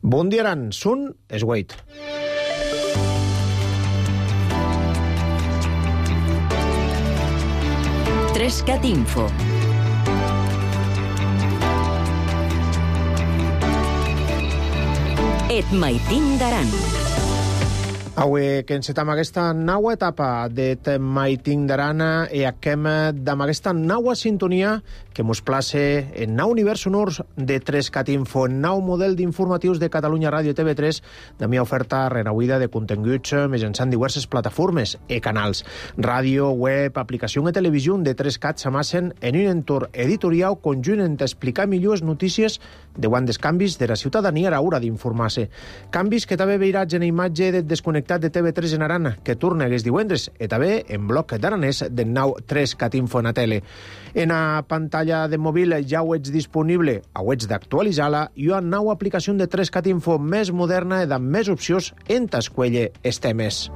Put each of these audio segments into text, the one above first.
Bon dia, Aran. Sun és Wade. Trescat Info. Et maitin d'Aran. Avui que encetam aquesta nova etapa d'Et maitin d'Aran i acabem amb aquesta nova sintonia que mos place en nou univers sonors de Trescat Info, en nou model d'informatius de Catalunya Ràdio TV3, de mi oferta renauïda de continguts mitjançant diverses plataformes i canals. Ràdio, web, aplicació i televisió de Trescat s'amassen en un entorn editorial conjunt en explicar millor les notícies de quan dels canvis de la ciutadania a l'hora d'informar-se. Canvis que també veirats en imatge de desconnectat de TV3 en Aran, que torna aquests divendres, i també en bloc d'aranès del nou Trescat Info en la tele. En la pantalla de mòbil ja ho ets disponible, ho ets d'actualitzar-la i una nova aplicació de Trescat Info més moderna i amb més opcions en t'escuelle els temes.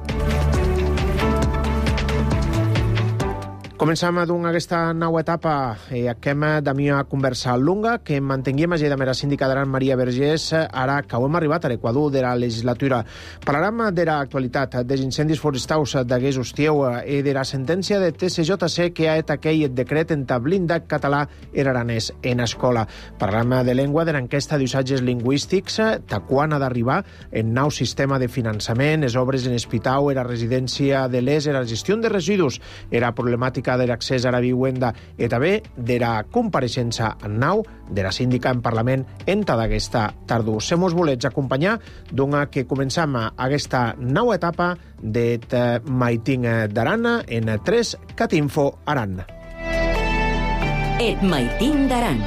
Comencem aquesta nova etapa i acabem de mi a conversa longa que mantenguem amb la síndica d'Aran, Maria Vergés, ara que hem arribat a l'equador de la legislatura. Parlarem de l'actualitat, dels incendis forestals d'Agués Hostieu i de la sentència de TCJC que ha aquell decret en blindat català i aranès en escola. Parlarem de llengua, de l'enquesta d'usatges lingüístics, de quan ha d'arribar el nou sistema de finançament, les obres en hospital, la residència de l'ES, la gestió de residus, la problemàtica de l'accés a la vivenda i també de la compareixença en nau de la síndica en Parlament en tota aquesta tardor. Se mos volets acompanyar, doncs que comencem aquesta nova etapa d'Et maitin d'Aran en Trescat Info Aran. Et maitin d'Aran.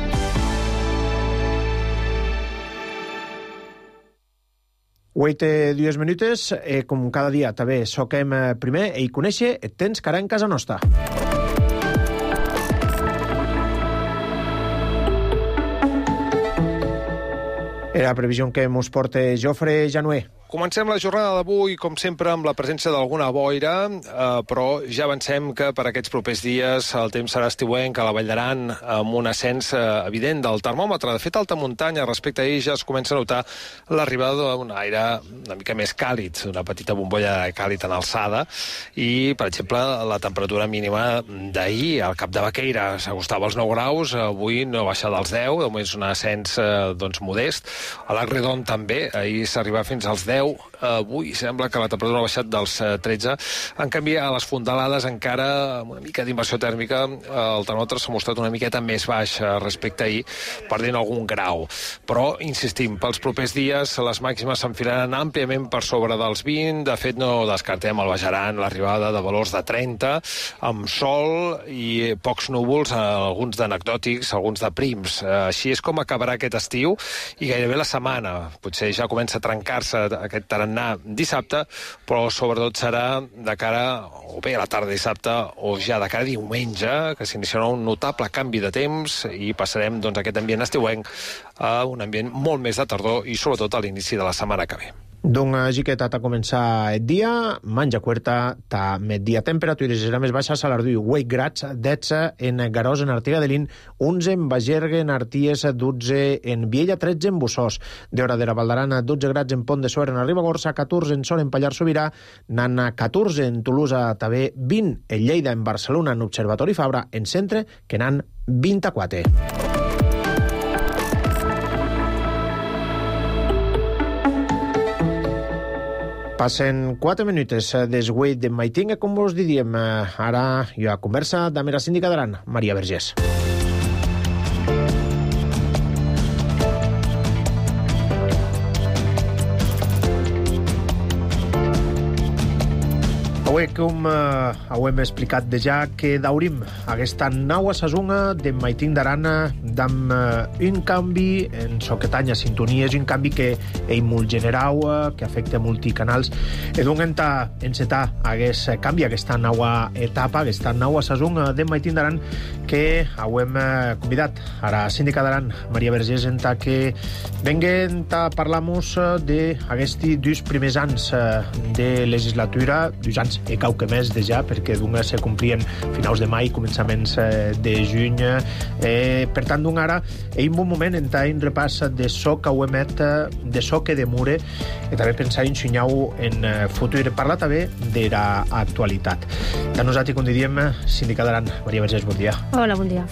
Wait 2 minutes, com cada dia també soquem primer i conèixer el temps que ara en casa nostra. La previsió que mos porta Jofre Januer. Comencem la jornada d'avui, com sempre, amb la presència d'alguna boira, però ja avancem que per aquests propers dies el temps serà estiuenc a la Vall d'Aran, amb un ascens evident del termòmetre. De fet, a alta muntanya, respecte a ell, ja es comença a notar l'arribada d'un aire una mica més càlid, una petita bombolla de càlid en alçada, i, per exemple, la temperatura mínima d'ahir, al Cap de Baqueira, s'acostava als 9 graus, avui no ha baixat als 10, de moment és un ascens modest. A l'Agredon també, ahir s'arribava fins als 10, avui sembla que la temperatura ha baixat dels 13. En canvi, a les fondalades encara amb una mica d'inversió tèrmica el termòmetre s'ha mostrat una miqueta més baix respecte a ahir, perdent algun grau. Però, insistim, pels propers dies les màximes s'enfilaran àmpliament per sobre dels 20. De fet, no descartem al Baix Aran l'arribada de valors de 30, amb sol i pocs núvols, alguns d'anecdòtics, alguns de prims. Així és com acabarà aquest estiu i gairebé la setmana. Potser ja comença a trencar-se aquest tarannà dissabte, però sobretot serà de cara, o bé a la tarda dissabte, o ja de cara a diumenge, que s'iniciarà un notable canvi de temps i passarem aquest ambient estiuenc a un ambient molt més de tardor i sobretot a l'inici de la setmana que ve. Doncs així que t'ha començar el dia, manja cuerta, t'ha metdia temperatures serà més baixes a l'Arduí, 8 grads, 10 en Garòs, en Artiga de Lin, 11 en Bagergue, en Arties, 12 en Viella, 13 en Bussós, d'Hora de la Val d'Aran, 12 grads en Pont de Suert, en Ribagorça, 14 en Sol, en Pallars Sobirà, Nana, 14 en Tolosa, també 20 en Lleida, en Barcelona, en Observatori Fabra, en Centre, que n'han 24. Passen 4 minutes des Wade de maitin, com vos diríem. Ara hi ha conversa amb la síndica d'Aran, Maria Vergés. Avui, com ho hem explicat ja, que daurim aquesta nova sazonga de maitin d'Aran amb un canvi en soquetanya sintonies, un canvi que és molt general, que afecta multicanals. I doncs encetar aquest canvi, aquesta nova etapa, aquesta nova sazonga de maitin d'Aran, que hem convidat a la síndica d'Aran, Maria Vergés, que venguen a parlar-nos d'aquests 2 primers anys de legislatura, 2 anys e quauque més de ja, perquè se complien finals de mai, començaments de juny. Per tant, ara hi ha un bon moment en un repàs de so que ho emet, de so que demure, i també pensar en xunyau en futur. Parla també de l'actualitat. De nosaltres, com diríem, síndica d'Aran, Maria Vergés, bon dia. Hola, bon dia.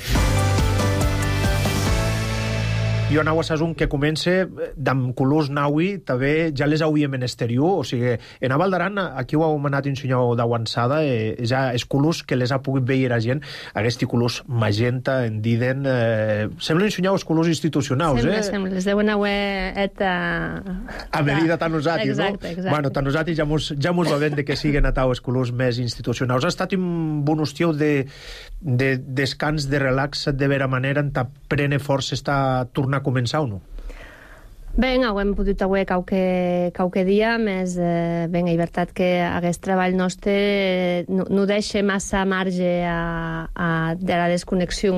Jo anau a sasun que comence d'amb colors naui, també ja les hauríem en exterior, o sigui, en Val d'Aran, aquí ho hem anat ensenyau d'avançada, ja els colors que les ha pogut veure la gent, aquests colors magenta, en diden, semblen ensenyau els colors institucionals, Sembla, les deuen haver a medida tan nosaltres, no? Exacte. Bueno, tan nosaltres ja mos va ben de que siguen atau els colors més institucionals. Ha estat un bon estiu de descans, de relax, de vera manera, en ta prene força està tornar a començar o no? Ben, hem pogut avui qualque dia, més ben, és veritat que aquest treball nostre no deixa massa marge de la desconnexió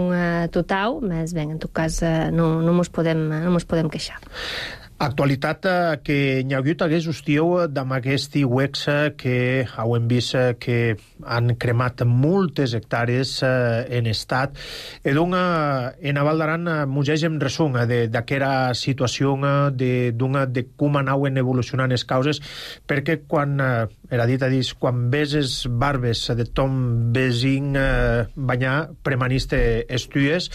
total, més ben, en tot cas no mos podem queixar. Actualitat que n'hi ha hagut hagués hostiu d'amb aquest UEX que hem vist que han cremat moltes hectàrees en estat. E donc, en Val d'Aran mugeix en resum d'aquesta situació de com anaven evolucionant les causes, perquè quan, era dit a dir, quan ves les barbes de Tom Besing banyar premaniste estudies,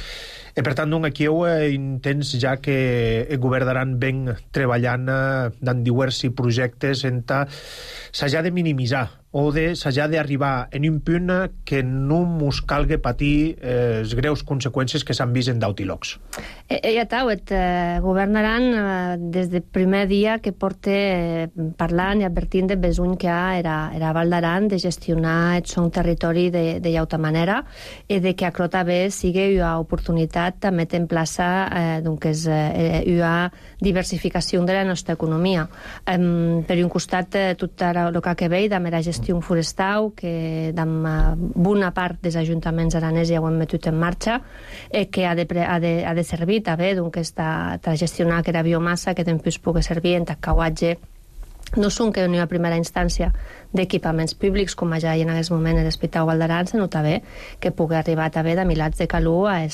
i per tant, aquí intents ja que el govern d'Aran ven treballant en diversos projectes en s'hagi de minimitzar o s'hagi d'arribar en un punt que no mos calgui patir les greus conseqüències que s'han vist en d'Autilocs. Ja tau, el govern d'Aran, des del primer dia que porta parlant i advertint de besuny que era Val d'Aran de gestionar el son territori de llauta manera i de que acrota bé sigui una oportunitat de metre en plaça una diversificació de la nostra economia. Per un costat, tot el que ve de la gestió forestal, que amb bona part dels ajuntaments aranès ja ho hem metut en marxa, que ha de servir també a gestionar aquesta biomassa que després pugui servir en cauatge, no són que en una primera instància d'equipaments públics, com ja hi en aquest moment en l'Hospital Val d'Aran, sinó també que pugui arribar també de milats de calor a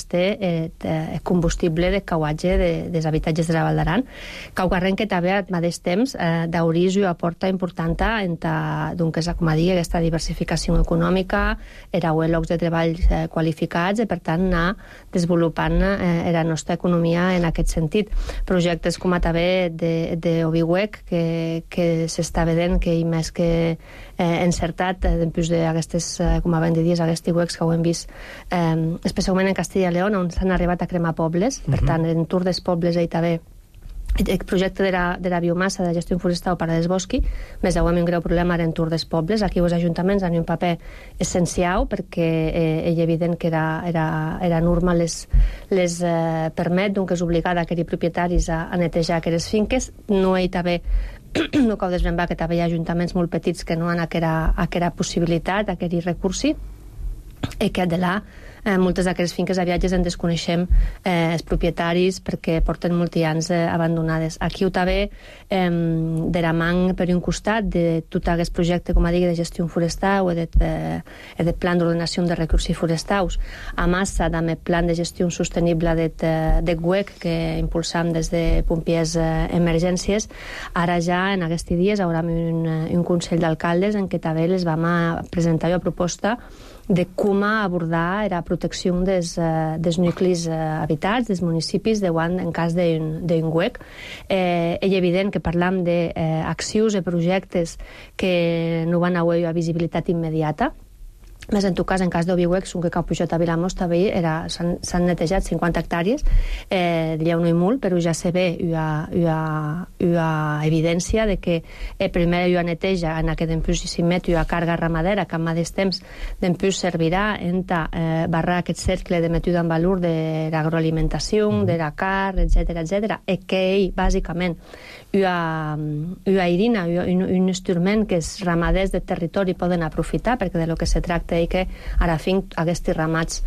combustible de cauatge dels habitatges de la Val d'Aran. Caucarren que també al mateix temps d'oris una porta important en com a dir, aquesta diversificació econòmica, era llocs de treball qualificats i per tant anar desenvolupant la nostra economia en aquest sentit. Projectes com a també d'Obiwec que s'està vedent que hi més que encertat després d'aquestes, com abans de dir, aquests UEX que ho hem vist especialment en Castilla i León, on s'han arribat a cremar pobles. Per tant, en Tour dels Pobles hi també el projecte de la biomassa de gestió forestal per a desbosqui, més ho hem un greu problema en Tour dels Pobles. Aquí els ajuntaments han un paper essencial perquè és evident que era norma les permet, doncs és obligada a aquells propietaris a netejar aquelles finques. No hi també no cal desbrembar que també hi ha ajuntaments molt petits que no han aquella possibilitat, aquell recurs, i que de là moltes d'aquestes finques a viatges en desconeixem els propietaris perquè porten molts anys abandonades. Aquí ho també de la man per un costat de tot aquest projecte, com a dir, de gestió forestal o de plan d'ordenació de recursos forestals, a massa també plan de gestió sostenible de GUEC que impulsam des de Pompiers Emergències. Ara ja en aquests dies hi haurà un Consell d'Alcaldes en què també les vam presentar una proposta de com abordar la protecció dels nuclis habitats, dels municipis, en cas d'un GUEC. És evident que parlam d'accions i projectes que no van haver una visibilitat immediata, més en tot cas, en cas d'Obiwec, que Cap Puigdot a Vilamós també s'han netejat 50 hectàrees, hi ha un molt, però ja se ve una evidència de que primer hi ha neteja en aquest d'empús i s'immet una càrrega ramadera que al mateix temps d'empús servirà en barrar aquest cercle de metuda en valor de l'agroalimentació, de la carn, etc., i que ell, bàsicament, una eirina, un instrument que els ramaders de territori poden aprofitar, perquè de lo que se tracta projecte i que ara fin aquests ramats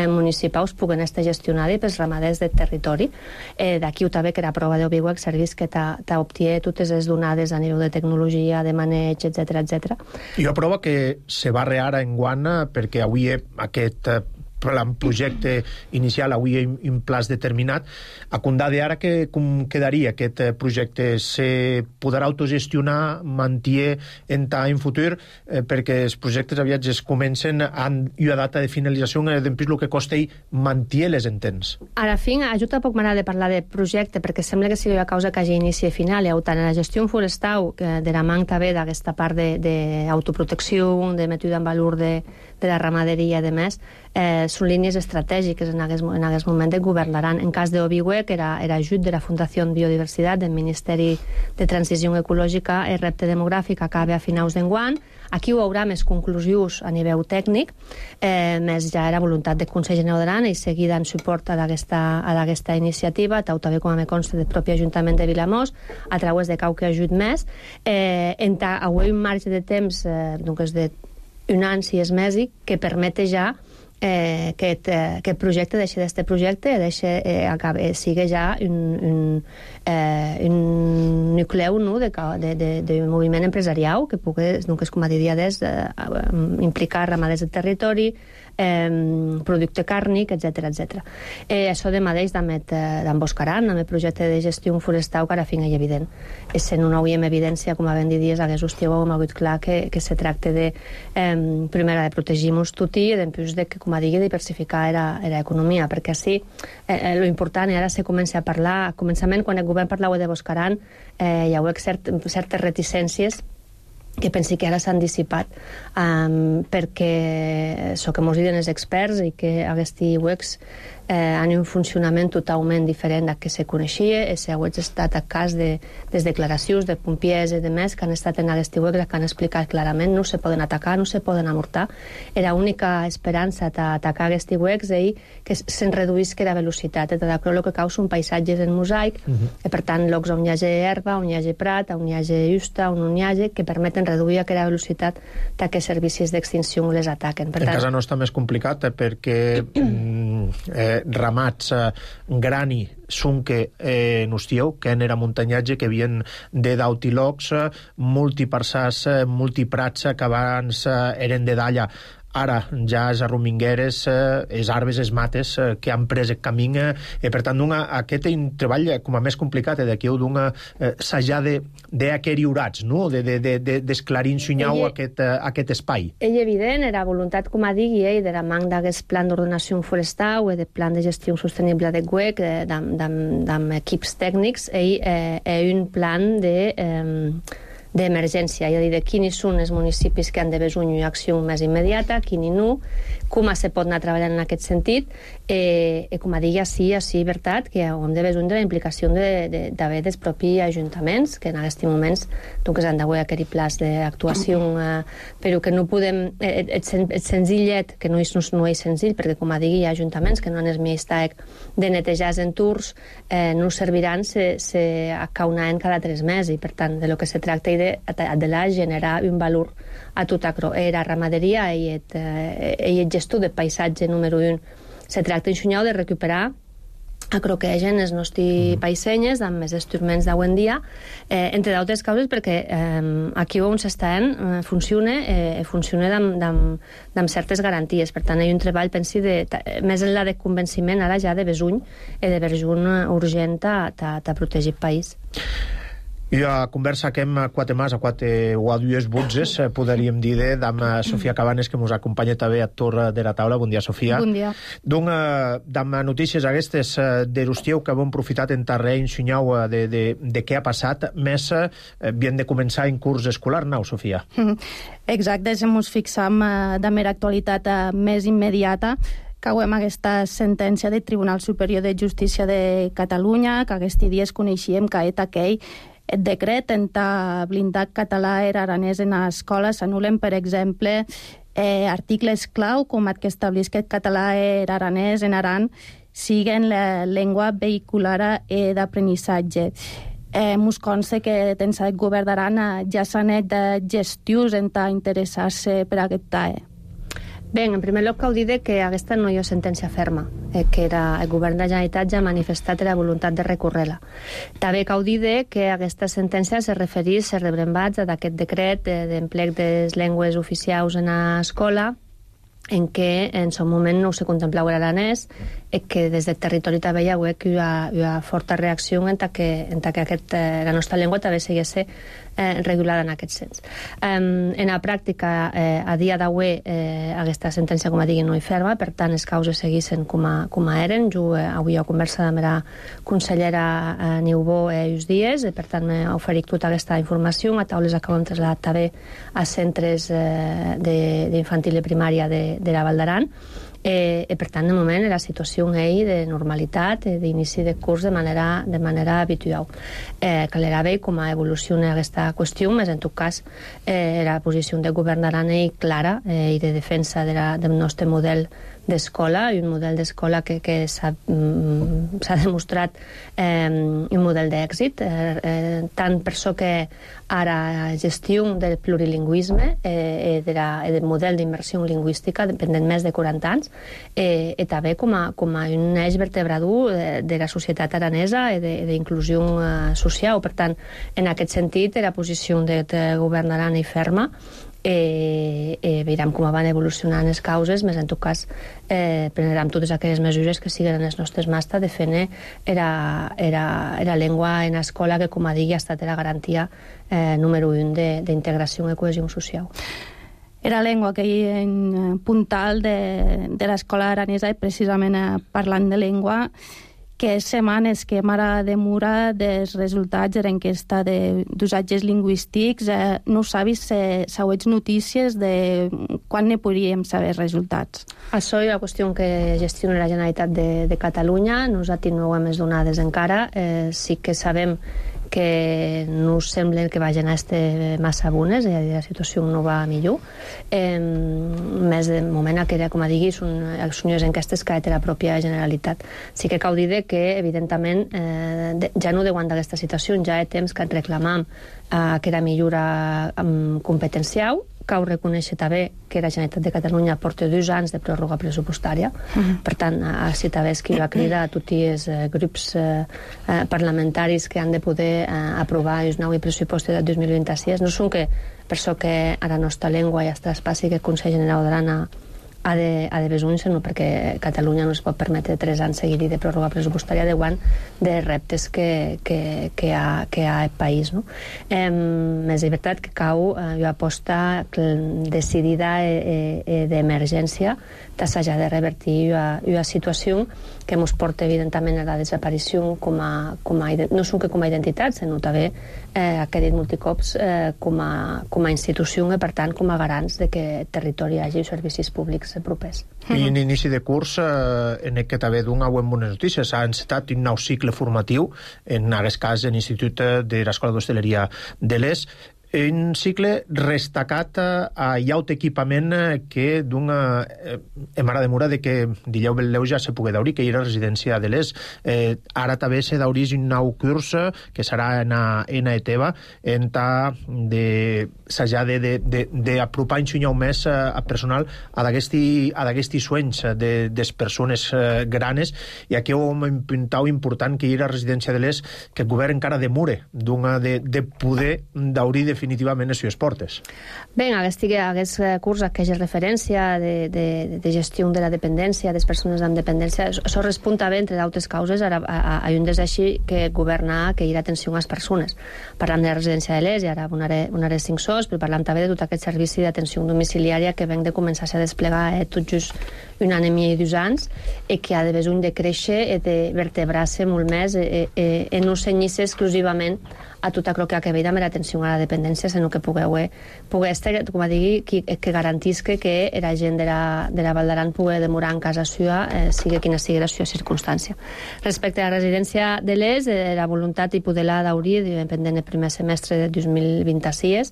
municipals puguen estar gestionats pels ramaders del territori. D'aquí també que la prova d'OBIWEC servís que t'obtie totes les donades a nivell de tecnologia, de maneig, etc. I una prova que se va rear enguany perquè avui aquest projecte inicial, avui en plaç determinat. A condade ara com quedaria aquest projecte? Se podrà autogestionar, mantier en futur, perquè els projectes aviats es comencen amb una data de finalització, d'empís el que costa i mantier les entens. Ara fin, ajuda poc m'agrada de parlar de projecte, perquè sembla que sigui una causa que hagi inici i final, i tant en la gestió forestal, de la manca també d'aquesta part d'autoprotecció, de mètode en valor de la ramaderia i demés, són línies estratègiques en aquest moment del govern d'Aran. En cas d'OBIWEC era ajut de la Fundació Biodiversitat del Ministeri de Transició Ecològica. El repte demogràfic acaba a finals d'enguany. Aquí ho haurà més conclusius a nivell tècnic, més ja era voluntat del Consell General d'Aran i seguir dant suport a aquesta iniciativa, també com a me consta del propi Ajuntament de Vilamós, a través de qualque ajut més. Avui un marge de temps d'un any, 6 mesos, que permet ja que aquest projecte deixi d'este projecte sigui ja un nucleu de moviment empresarial que pugui, com a dia implicar ramaders del territori, producte càrnic, etc. Això de mateix d'emboscaran, amb el projecte de gestió forestal que ara fin és evident. Sent una avui en evidència, com a ben dit dies, hagués hostiu hem hagut clar que se tracta de primera de protegir-nos tutti i després de que, com a digui, diversificar l'economia, perquè així lo important, i ara se comença a parlar, a començament quan el govern parlava de Boscaran hi ha certes reticències que pensi que ara s'han dissipat perquè això que mos diuen els experts i que aquests UECs han un funcionament totalment diferent del que se coneixia. Ha estat a cas de les declaracions de pompiers i de més que han estat en aquest UECs que han explicat clarament no se poden atacar, no se poden amortar. Era l'única esperança d'atacar aquests UECs i que se'n reduïsca la velocitat. El que causa un paisatge en mosaic, per tant, llocs on hi hagi herba, on hi hagi prat, on hi hagi justa, on hi hagi, que permeten reduir aquella velocitat que servicis d'extinció les ataquen. En casa nostra més complicat perquè ramats grani sunque nostieu, que era muntanyatge, que havien de dautilocs, multiparsars, multiprats, que abans eren de dalla. Ara ja les arromingueres, les arbres, les mates que han pres el camí, per tant aquest treball com a més complicat d'aquí s'ha d'aquerir urats, d'esclarir ensunyau aquest espai. És evident, era voluntat, com a digui, de la manca d'aquest plan d'ordenació forestal i de plan de gestió sostenible de GUEC, amb equips tècnics, i un plan d'emergència, és a dir, de quins són els municipis que han de veure una acció més immediata, quins no, com se pot anar treballant en aquest sentit, i com a digui, sí, veritat, que hem de veure la implicació d'haver dels propis ajuntaments, que en aquests moments han d'haver aquell plans d'actuació, però que no podem, el senzillet, que no és senzill, perquè com a digui, hi ha ajuntaments que no han el miestàec de netejar els entorns, no serviran se acaunaven cada 3 mesos, i per tant, de lo que se tracta de generar un valor a tot la ramaderia i el gestor de paisatge número 1. Se tracta ensunyau de recuperar acroquegen els nostres paisenyes amb més instruments d'avui en dia, entre d'altres causes perquè aquí on s'estan funciona amb certes garanties. Per tant, hi ha un treball, pensi, més enllà de convenciment, ara ja de besuny i de besuny urgent de protegir el país. I a conversa que hem 4 mas, o a 2 butzes, podríem dir amb Sofia Cabanes, que ens acompanya també a torre de la taula. Bon dia, Sofia. Bon dia. Amb notícies aquestes de l'Ustieu que hem aprofitat en terreny, ensenyau de què ha passat, més havien de començar en curs escolar, no, Sofia? Exacte, si ens fixam de mera actualitat més immediata, cauem aquesta sentència del Tribunal Superior de Justícia de Catalunya, que aquests dies coneixíem que aquell el decret en blindar català i aranès en escoles s'anulen, per exemple, articles clau com el que estableix que el català i aranès en Aran siguen la llengua vehicular d'aprenissatge. Mos consta que dins el govern d'Aran ja s'han fet gestions en interessar-se per aquest TAE. Bé, en primer lloc cal dir que aquesta no hi ha sentència ferma, que el govern de la Generalitat ja ha manifestat la voluntat de recórrer-la. També cal dir que aquesta sentència se refereix als rebrembats d'aquest decret d'emplec de les llengües oficials en l'escola, en què en son moment no se contemplava l'aranès i que des del territori també hi ha forta reacció en que la nostra llengua també seguís regulada en aquest sens. En la pràctica, a dia d'avui, aquesta sentència, com a digui, no hi ferma, per tant, les causes seguissin com a eren. Jo avui he conversat amb la consellera Niubó uns dies, per tant, m'he oferit tota aquesta informació, a taules que hem traslladat també a centres d'infantil i primària de la Val d'Aran, i per tant, de moment, la situació de normalitat, d'inici de curs de manera habitual. Calerà bé com evoluciona aquesta qüestió, més en tot cas la posició del govern d'Aran és clara i de defensa del nostre model d'escola, i un model d'escola que s'ha demostrat un model d'èxit, tant per això que ara gestió del plurilingüisme i del model d'immersió lingüística dependent més de 40 anys, i també com a un eix vertebrador de la societat aranesa i d'inclusió social. Per tant, en aquest sentit, la posició del govern d'Aran és ferma, veurem com van evolucionant les causes, més en tot cas prendrem totes aquelles mesures que siguin en les nostres mans de fer la llengua en l'escola, que, com a digui, ha estat la garantia número 1 d'integració i cohesió social. Era llengua que hi ha en puntal de l'escola aranesa, i precisament parlant de llengua, que setmanes que m'ara demora dels resultats de l'enquesta d'usatges lingüístics, no sabis si sauets notícies de quan ne podríem saber resultats. Això és la qüestió que gestiona la Generalitat de Catalunya. Nosaltres no ho hem donades encara. Sí que sabem que no sembla que vagin a estar massa bones, és a dir, la situació no va millor. Més de moment, com a digui, són les enquestes que té la pròpia Generalitat. Sí que cal dir que, evidentment, ja no deuen d'aquesta situació, ja hi ha temps que reclamam que era millora competencial. Cal reconèixer també que la Generalitat de Catalunya porta 2 anys de pròrroga pressupostària. Per tant, així també és que va cridar a tots els grups parlamentaris que han de poder aprovar els nous pressupostos del 2026. No són que per això que a la nostra llengua ja es traspassi que el Consell General d'Aran ha de besuny, sinó perquè Catalunya no es pot permetre 3 anys seguir de pròrroga pressupostària davant de reptes que hi ha al país. És veritat que cau una aposta decidida d'emergència s'hagi de revertir una situació que ens porta evidentment a la desaparició no són que com a identitat, sinó també que he dit multicops com a institució i per tant com a garants de que el territori hi hagi servicis públics propers. I en inici de curs en què també donar bones notícies. S'ha encetat un nou cicle formatiu, en aquest cas en l'Institut de l'Escola d'Hostaleria de l'ES, un cicle destacat a llaut equipament que m'agrada mura de que dileu Beleu ja se pugui daurir, que hi era residència de l'ES. Ara també se daurís un nou curs que serà en Eteva, en s'haja d'apropar un xunyau més a personal a d'aquesti sueños de les persones granes, i aquí hem impuntat important que hi era residència de l'ES, que el govern encara demore de poder daurir definitivament les seves portes. Bé, aquest curs, aquesta referència de gestió de la dependència, de les persones amb dependència, això respon també, entre d'altres causes, a un desig que governa que hi ha atenció a les persones. Parlant de la residència de l'ES, i ara donaré 5 sos, però parlant també de tot aquest servici d'atenció domiciliària que venc de començar a desplegar tot just un any i mig, 2 anys, i que ha de besony de créixer i de vertebrar-se molt més i no cenyir-se exclusivament a tot allò que ha a veure amb l'atenció a la dependència, sinó que pugui estar, com a digui, que garantisca que la gent de la Val d'Aran pugui demorar en casa seva, sigui quina sigui la seva circumstància. Respecte a la residència de l'ES, la voluntat i poder-la daurir, pendent el primer semestre de 2026,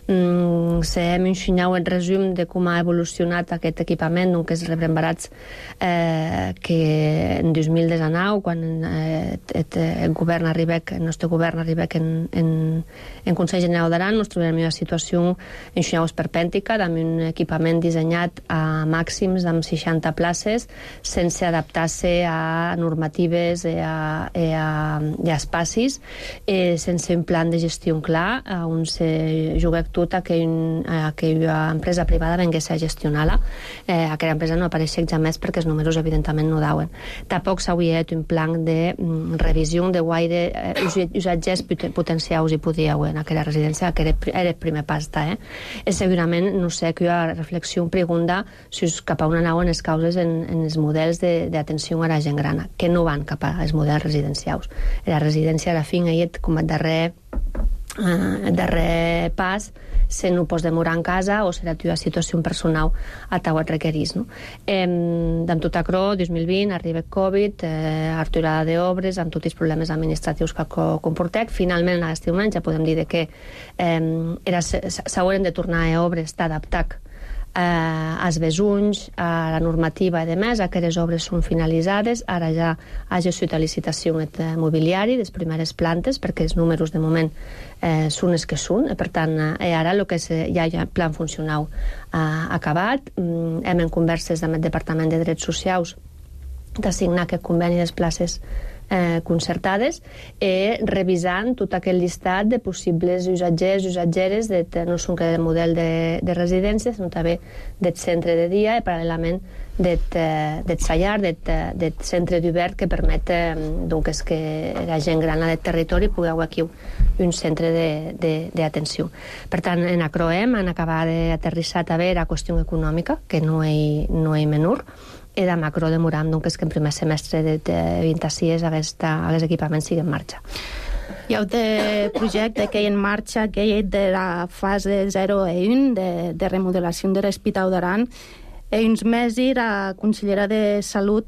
Se hem ensenyat el resum de com ha evolucionat aquest equipament, que és rebrembarats que en 2019, quan el govern arribec, el nostre govern arribec en Consell General d'Aran, ens trobem en una situació ensenyat esperpèntica, amb un equipament dissenyat a màxims amb 60 places, sense adaptar-se a normatives i a espacis, sense un plan de gestió clar, on se juga tot a que aquella empresa privada vengués a gestionar-la. Aquella empresa no apareix jamais perquè els números evidentment no dauen. Tampoc s'hauria fet un plan de revisió de guaire usatgers potencials hi podia haver en aquella residència, que era el primer pas. Segurament, no sé, que hi ha reflexió pregunta si cap a una nau en les causes en els models d'atenció a la gent gran, que no van cap als models residencials. La residència, a la fi, com el darrer pas, se no pots demorar en casa o serà la situació personal a tau et requerís. Amb tot això, 2020, arriba el Covid, aturada d'obres, amb tots els problemes administratius que comportec. Finalment, en aquest moment ja podem dir que s'hauran de tornar a obres d'adaptar als besunys, a la normativa i demés, a que les obres són finalitzades. Ara ja ha gestit la licitació el mobiliari, les primeres plantes, perquè els números de moment són els que són. Per tant, ara ja hi ha plan funcional acabat. Hem en converses amb el Departament de Drets Socials d'assignar aquest conveni de les places concertades, revisant tot aquell llistat de possibles usatgers i usatgeres, no són que del model de residència, sinó també del centre de dia i paral·lelament del sallar, del centre d'obert que permet que la gent gran del territori pugui haver aquí un centre d'atenció. Per tant, en Acroem han acabat d'aterrissar també la qüestió econòmica, que no és menor, i de macro demorant que en primer semestre de 26 aquest equipament sigui en marxa. Hi ha un projecte que hi en marxa, que hi ha de la fase 0 i 1 de remodelació de l'Hospital d'Aran. Uns mesos la consellera de Salut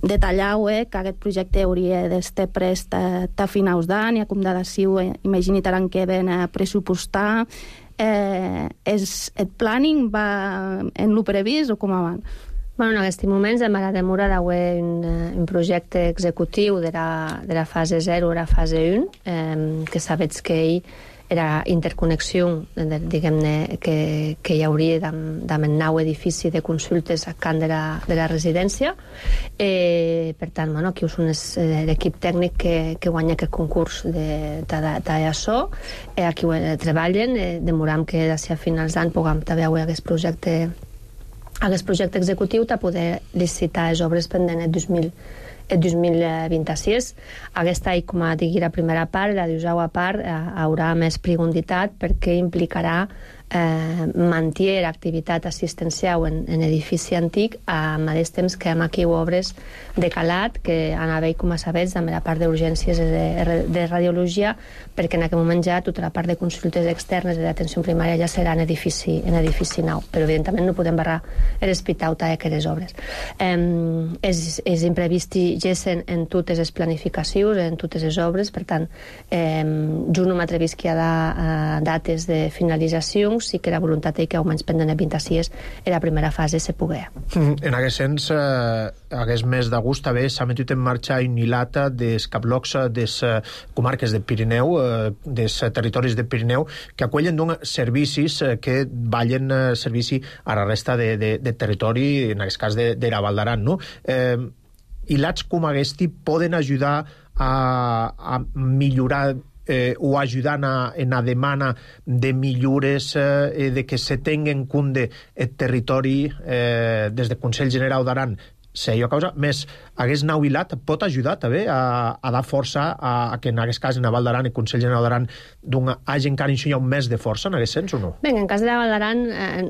detallava que aquest projecte hauria d'estar prest a finals d'any, i com d'adació imagini l'any que ven a pressupostar. El planning va en lo previst o com abans? En aquests moments hem ara demora d'haver un projecte executiu de la fase 0 a la fase 1, que sabets que era interconnexió, diguem-ne, que hi hauria amb el nou edifici de consultes a camp de la residència. Per tant, aquí és l'equip tècnic que guanya aquest concurs d'això. Aquí ho treballen, demorem que d'ací a finals d'any puguem també haver aquest projecte executiu de poder licitar les obres pendents el 2026. Aquesta, com a digui la primera part, la segona part, haurà més prioritat perquè implicarà mantenir l'activitat assistencial en edifici antic al mateix temps que hem aquí obres de calat que han haver, com a sabets, amb la part d'urgències de radiologia, perquè en aquest moment ja tota la part de consultes externes i d'atenció primària ja serà en edifici nou, però evidentment no podem barrar l'hospital d'aquestes obres. És imprevist gessen en totes les planificacions, en totes les obres, per tant, jo no m'atrevís que hi ha dates de finalització, sí que la voluntat és que almenys pendent de 26 en la primera fase se pugui. En aquest sens, aquest mes d'agost també s'ha metut en marxa un hilat dels caplocs des comarques de Pirineu, des territoris de Pirineu, que acollen servicis que ballen servici a la resta de territori, en aquest cas de la Val d'Aran, no? Hilats com aquest poden ajudar a millorar o ajudant en la demanda de millores de que se tingui en compte el territori des del Consell General d'Aran. Seria causa més, aquest nou hilat pot ajudar també a dar força a que en aquest cas en la Val d'Aran el Consell General d'Aran hagi encara ensenyat més de força en aquest sens o no? Bé, en cas de la Val d'Aran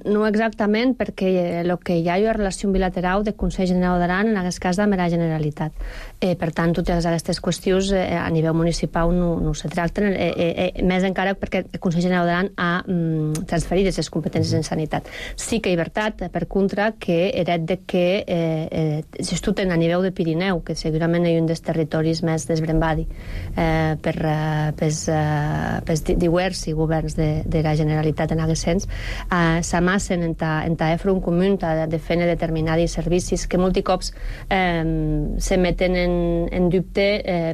no exactament, perquè el que hi ha una relació bilateral del Consell General d'Aran en aquest cas amb la Generalitat. Per tant, totes aquestes qüestions a nivell municipal no se tracten, més encara perquè el Consell General d'Aran ha transferit les competències en sanitat. Sí que és veritat, per contra, que era de que a nivell de Pirineu, que segurament és un dels territoris més desbrembadi pels diversos governs de la Generalitat en aquest sens, s'amassen en ta front comú de fer determinats servicis que molts cops se meten en dubte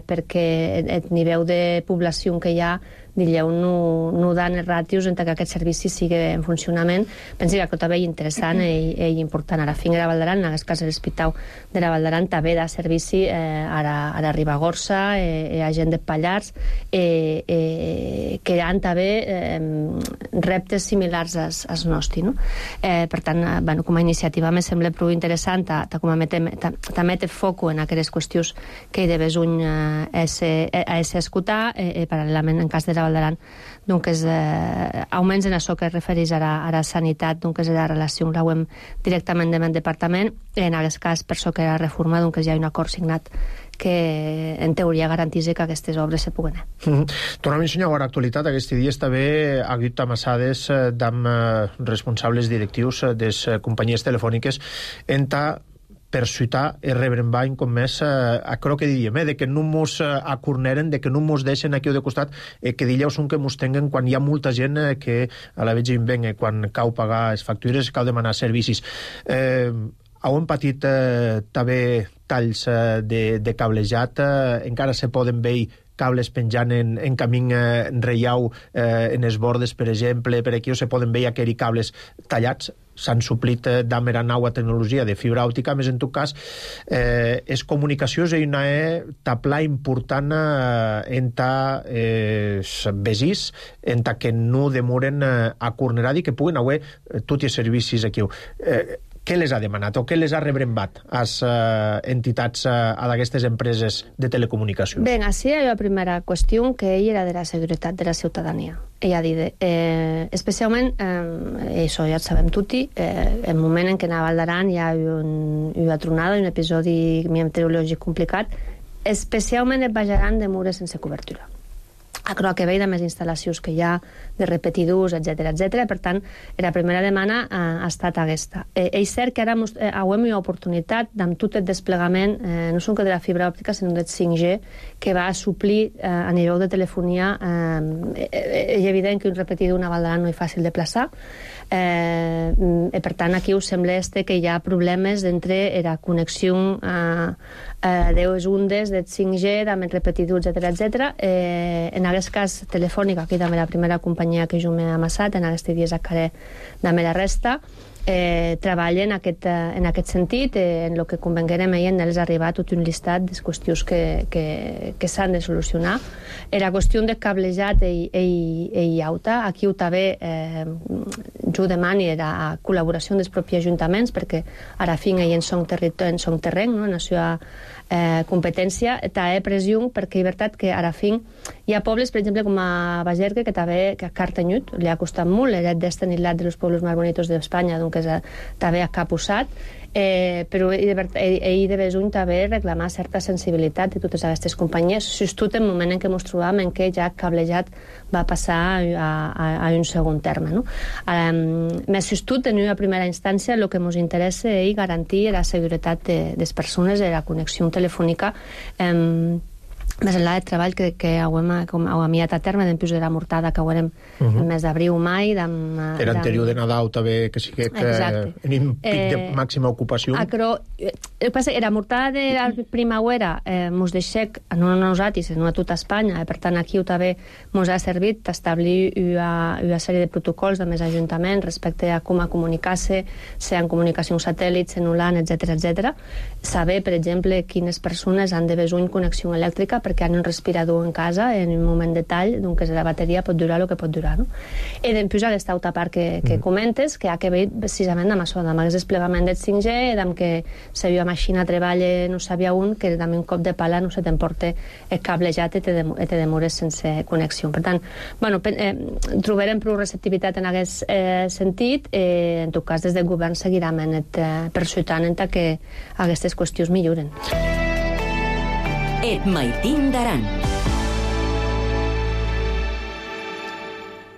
perquè el nivell de població que hi ha no dan els ràtios entre que aquest servici sigui en funcionament. Pensi que també és interessant i important. A la Finca de Valdaran, en aquest cas l'Hospital de la Valdaran, també da servici a la Ribagorça, a gent de Pallars, que han també reptes similars als nostres. Per tant, com a iniciativa me sembla prou interessant, també té foc en aquestes qüestions que hi de besuny a escoltar, paral·lelament en cas de la Valdaran, almenys en això que es refereix a la sanitat, és la relació la hem directament amb el departament, en aquest cas per això que la reforma hi ha un acord signat que en teoria garanteix que aquestes obres se puguen. Tornem a ensenyar a l'actualitat. Aquest dia també ha hagut amassades amb responsables directius de les companyies telefòniques per ciutar i rebrenbany com més aquello que diríem, de que no mos acorneren, de que no mos deixen aquí o de costat, que dilleus que mos tenguen quan hi ha molta gent que a la vegada invenga, quan cau pagar les factures, cau demanar servicis. Heu patit també talls de cablejat, encara se poden veure cables penjant en camí reiau en els bordes, per exemple, per aquí, o se poden veure aquells cables tallats, s'han suplit d'amera nova tecnologia de fibra òptica, més en tot cas és comunicació és una tapla important en vesís, en que no demoren a cornerar i que puguen haver tots els servicis aquí. Què les ha demanat o què les ha rebrembat a les entitats d'aquestes empreses de telecomunicacions? Bé, així hi ha la primera qüestió, que ell era de la seguretat de la ciutadania. Ell ha dit, especialment, això ja ho sabem tutti, el moment en què a Valdaran hi ha una tronada, un episodi meteorològic complicat, especialment es baixaran de mures sense cobertura. A que ve de més instal·lacions que hi ha, de repetidors, etc. Per tant, la primera demanda ha estat aquesta. És cert que ara hem una oportunitat amb tot el desplegament, no són que de la fibra òptica, sinó del 5G, que va suplir a nivell de telefonia. És evident que un repetidor a Valdaran no és fàcil de plaçar, per tant, aquí us sembla que hi ha problemes entre la connexió de les ondes del 5G, amb el repetidor, etc. En aquest cas telefònica, aquí també la primera companyia que jo m'he amassat, en aquests dies encara també la resta, treballen en aquest sentit, en el que convenguérem en els arribar tot un llistat de qüestions que s'han de solucionar. La qüestió de cablejat i auta, aquí ho també jo demani la col·laboració dels propis ajuntaments, perquè a la fin en som terreny, en la seva competència, també pressió, perquè és veritat que a la fin hi ha pobles, per exemple, com a Bagergue, que també a Cartanyut li ha costat molt, era destinat dels pobles més bonitos d'Espanya, doncs també a cap usat, però ell de besuny també reclamar certa sensibilitat de totes aquestes companyies, just en el moment en què ens trobàvem en què ja cablejat va passar a un segon terme. Més just en una primera instància el que ens interessa és garantir la seguretat de les persones i la connexió telefònica més enllà del treball que hem amiat a terme d'en de la mortada que haurem el mes d'abril o mai. Era anterior de Nadal també, que sí que en un pic de màxima ocupació. Però el que passa que la mortada de la primavera ens deixa, no a nosaltres, sinó a tota Espanya, per tant aquí també ens ha servit d'establir una sèrie de protocols de més ajuntaments respecte a com a comunicar-se, si en comunicació satèl·lit, celular, etc. Saber, per exemple, quines persones han de besuny connexió elèctrica perquè han un respirador en casa en un moment de tall, doncs la bateria pot durar el que pot durar. I després aquesta altra part que comentes, que ha que veure precisament amb això, amb el desplegament del 5G, amb que la meva màquina treballa no sabia on, que amb un cop de pala no se t'emporta el cablejat i te demores sense connexió. Per tant, trobarem prou receptivitat en aquest sentit, en tot cas des del govern seguirem persutant que aquestes qüestions milloren. Et Maitín d'Aran.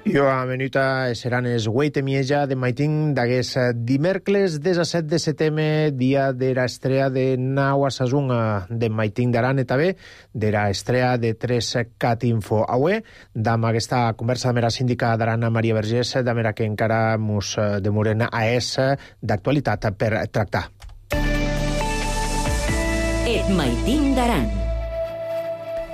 Jo a menuta seran es 8 mieja de maitin d'aguest dimèrcles 17 de setembre, dia d'era estrella de nau a Sasung de maitin d'Aran, eta bé d'era estrella de 3cat info. Avui, damb aquesta conversa amb la síndica d'Aran, Maria Vergés, damb era que encara mos demoren a es d'actualitat per tractar. Et maitin d'Aran.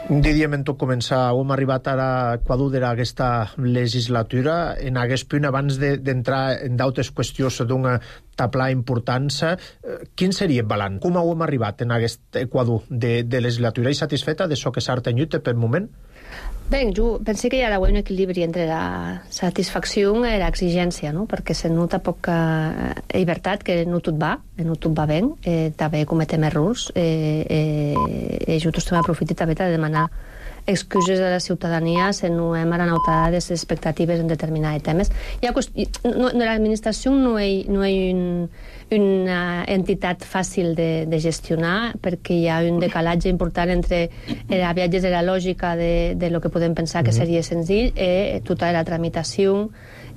Diríem en tot començar, hem arribat ara a Equador d'aquesta legislatura. En aquest punt, abans d'entrar en d'altres qüestions d'una tapla importància, quin seria el balanç? Com hem arribat en aquest Equador de legislatura? I satisfeta d'això que s'ha tenyut per moment? Bé, jo penso que hi ha un equilibri entre la satisfacció i l'exigència, no? Perquè se nota poca llibertat, que no tot va bé, també cometem errors, i jo també aprofito també de demanar excuses a la ciutadania si no hem aranautat les expectatives en determinats temes. L'administració no és una entitat fàcil de gestionar, perquè hi ha un decalatge important entre els viatges de la lògica de lo que podem pensar que seria senzill i tota la tramitació,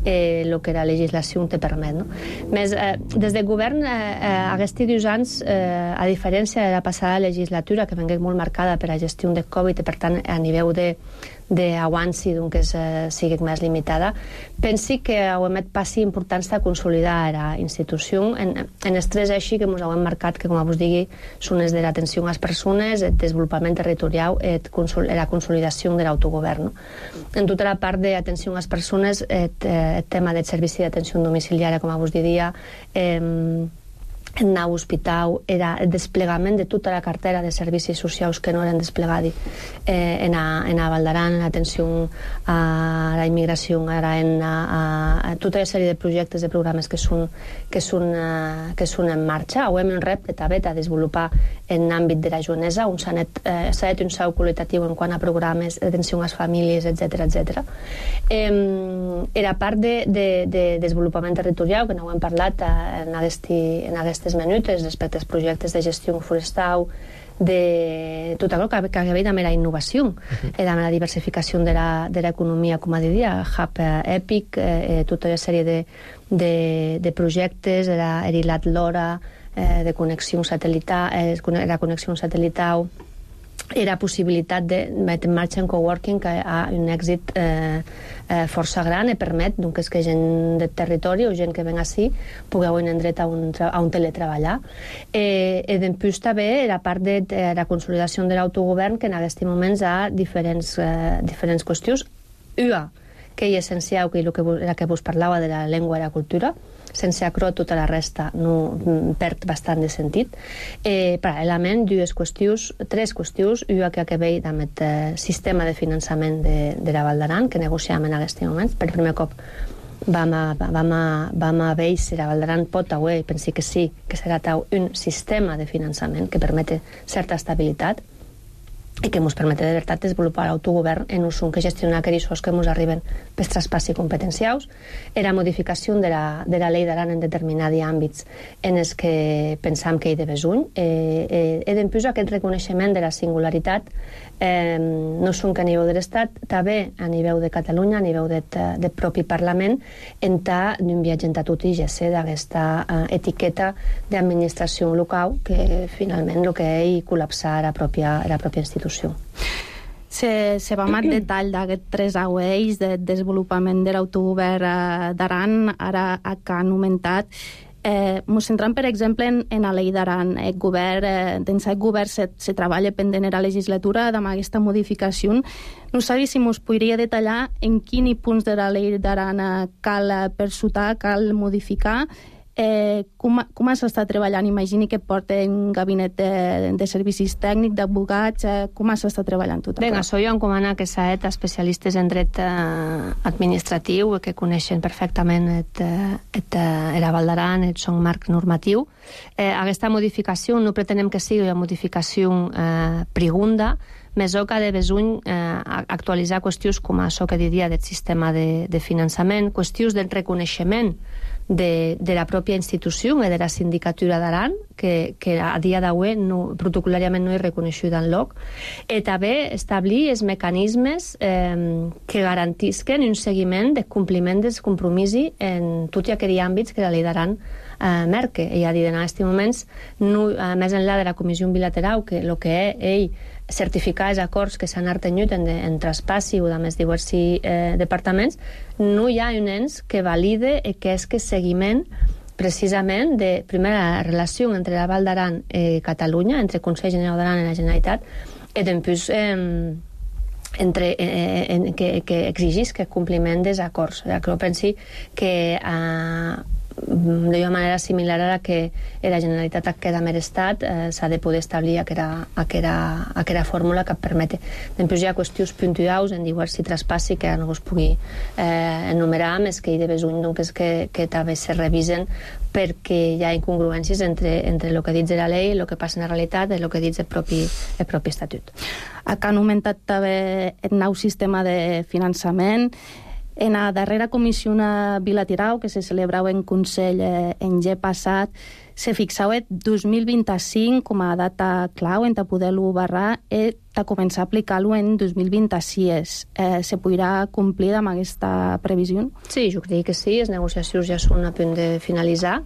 el que la legislació te permet. No? Més, des del govern, aquests 2 anys, a diferència de la passada legislatura, que vengué molt marcada per la gestió del Covid i, per tant, a nivell d'avanci que sigui més limitada, pensi que hem fet passi importants de consolidar la institució en els 3 eixos que ens hem marcat, que, com vos digui, són els de l'atenció a les persones, el desenvolupament territorial i la consolidació de l'autogovern. En tota la part d'atenció a les persones, el tema del servici d'atenció domiciliària, com vos diria, en nau hospital, era el desplegament de tota la cartera de servicis socials que no eren desplegats en a Val d'Aran, en l'atenció a la immigració, ara a tota la sèrie de projectes, de programes que són en marxa. Avui hem un repte també de desenvolupar en l'àmbit de la joanesa, on s'ha fet un salt qualitatiu en quant a programes d'atenció a les famílies, etc. Era part de desenvolupament territorial, que no ho hem parlat en aquestes minutes, respecte als projectes de gestió forestal, de tot allò que ve amb la innovació, amb la diversificació de l'economia, com a diria, Hub Epic, tota una sèrie de projectes, l'Erilat Lora, de connexió satelital, la connexió satelital, era possibilitat de metre en marxa en coworking, que ha un èxit força gran i permet que gent del territori o gent que ven ací pugui tenir dret a un teletreballar. I després també la part de la consolidació de l'autogovern, que en aquests moments hi ha diferents qüestions. Una, que és essencial, que és la que vos parlava de la llengua i la cultura. Sense acro, tota la resta no perd bastant de sentit. Paral·lelament, 3 qüestions. Una que ve amb el sistema de finançament de la Val d'Aran, que negociàvem en aquests moments. Per primer cop vam a veure si la Val d'Aran pot avui, pensi que sí, que serà un sistema de finançament que permet certa estabilitat i que ens permet de veritat desenvolupar l'autogovern en un que gestionar aquells que ens arriben per traspassi competencials. Era modificació de la llei d'Aran en determinats àmbits en els que pensam que hi de besuny. I després aquest reconeixement de la singularitat no són que a nivell de l'Estat, també a nivell de Catalunya, a nivell del propi Parlament, en d'un viatge en tot i gesse d'aquesta etiqueta d'administració local que finalment el que és col·lapsar la pròpia institució. Se va amb el detall d'aquests 3 eixos de desenvolupament de l'autogovern d'Aran, ara que han augmentat. Ens centrem, per exemple, en la llei d'Aran. Dins el govern se treballa pendent de la legislatura amb aquesta modificació. No sabia si ens podria detallar en quins punts de la llei d'Aran cal persutar, cal modificar, com s'està treballant. Imagini que porta un gabinet de servicis tècnics, d'advocats, com s'està treballant tot això? Bé, això jo encomana que s'ha fet especialistes en dret administratiu que coneixen perfectament la Val d'Aran, el seu marc normatiu. Aquesta modificació no pretenem que sigui una modificació profunda, més o que ha de besuny actualitzar qüestions com això que diria del sistema de finançament, qüestions del reconeixement de la pròpia institució i de la sindicatura d'Aran, que a dia d'avui protocolàriament no és reconeixuda en lloc, i també establir els mecanismes que garantisquen un seguiment de compliment dels compromisos en tots aquells àmbits que la llei d'Aran marca. I a dir, en aquests moments, més enllà de la comissió bilateral, que el que ell certificar els acords que s'han artenyut en traspassi o de més diversos departaments, no hi ha un ens que valide aquest seguiment precisament de, primer, la relació entre la Val d'Aran i Catalunya, entre el Consell General d'Aran i la Generalitat, i després que exigís que compliment dels acords. Jo penso que d'una manera similar a la que la Generalitat queda més estat, s'ha de poder establir aquella fórmula que permeti. Després hi ha qüestions puntuals en diversos traspassi que no us pugui enumerar, més que hi de besuny que també se revisen perquè hi ha incongruències entre el que diu la llei, el que passa en la realitat i el que diu el propi estatut. Han augmentat també el nou sistema de finançament. En la darrera comissió bilateral que se celebrava en Consell en ge passat, se fixava el 2025 com a data clau en poder-lo barrar i de començar a aplicar-lo en 2026. Se podrà complir amb aquesta previsió? Sí, jo crec que sí. Les negociacions ja són a punt de finalitzar.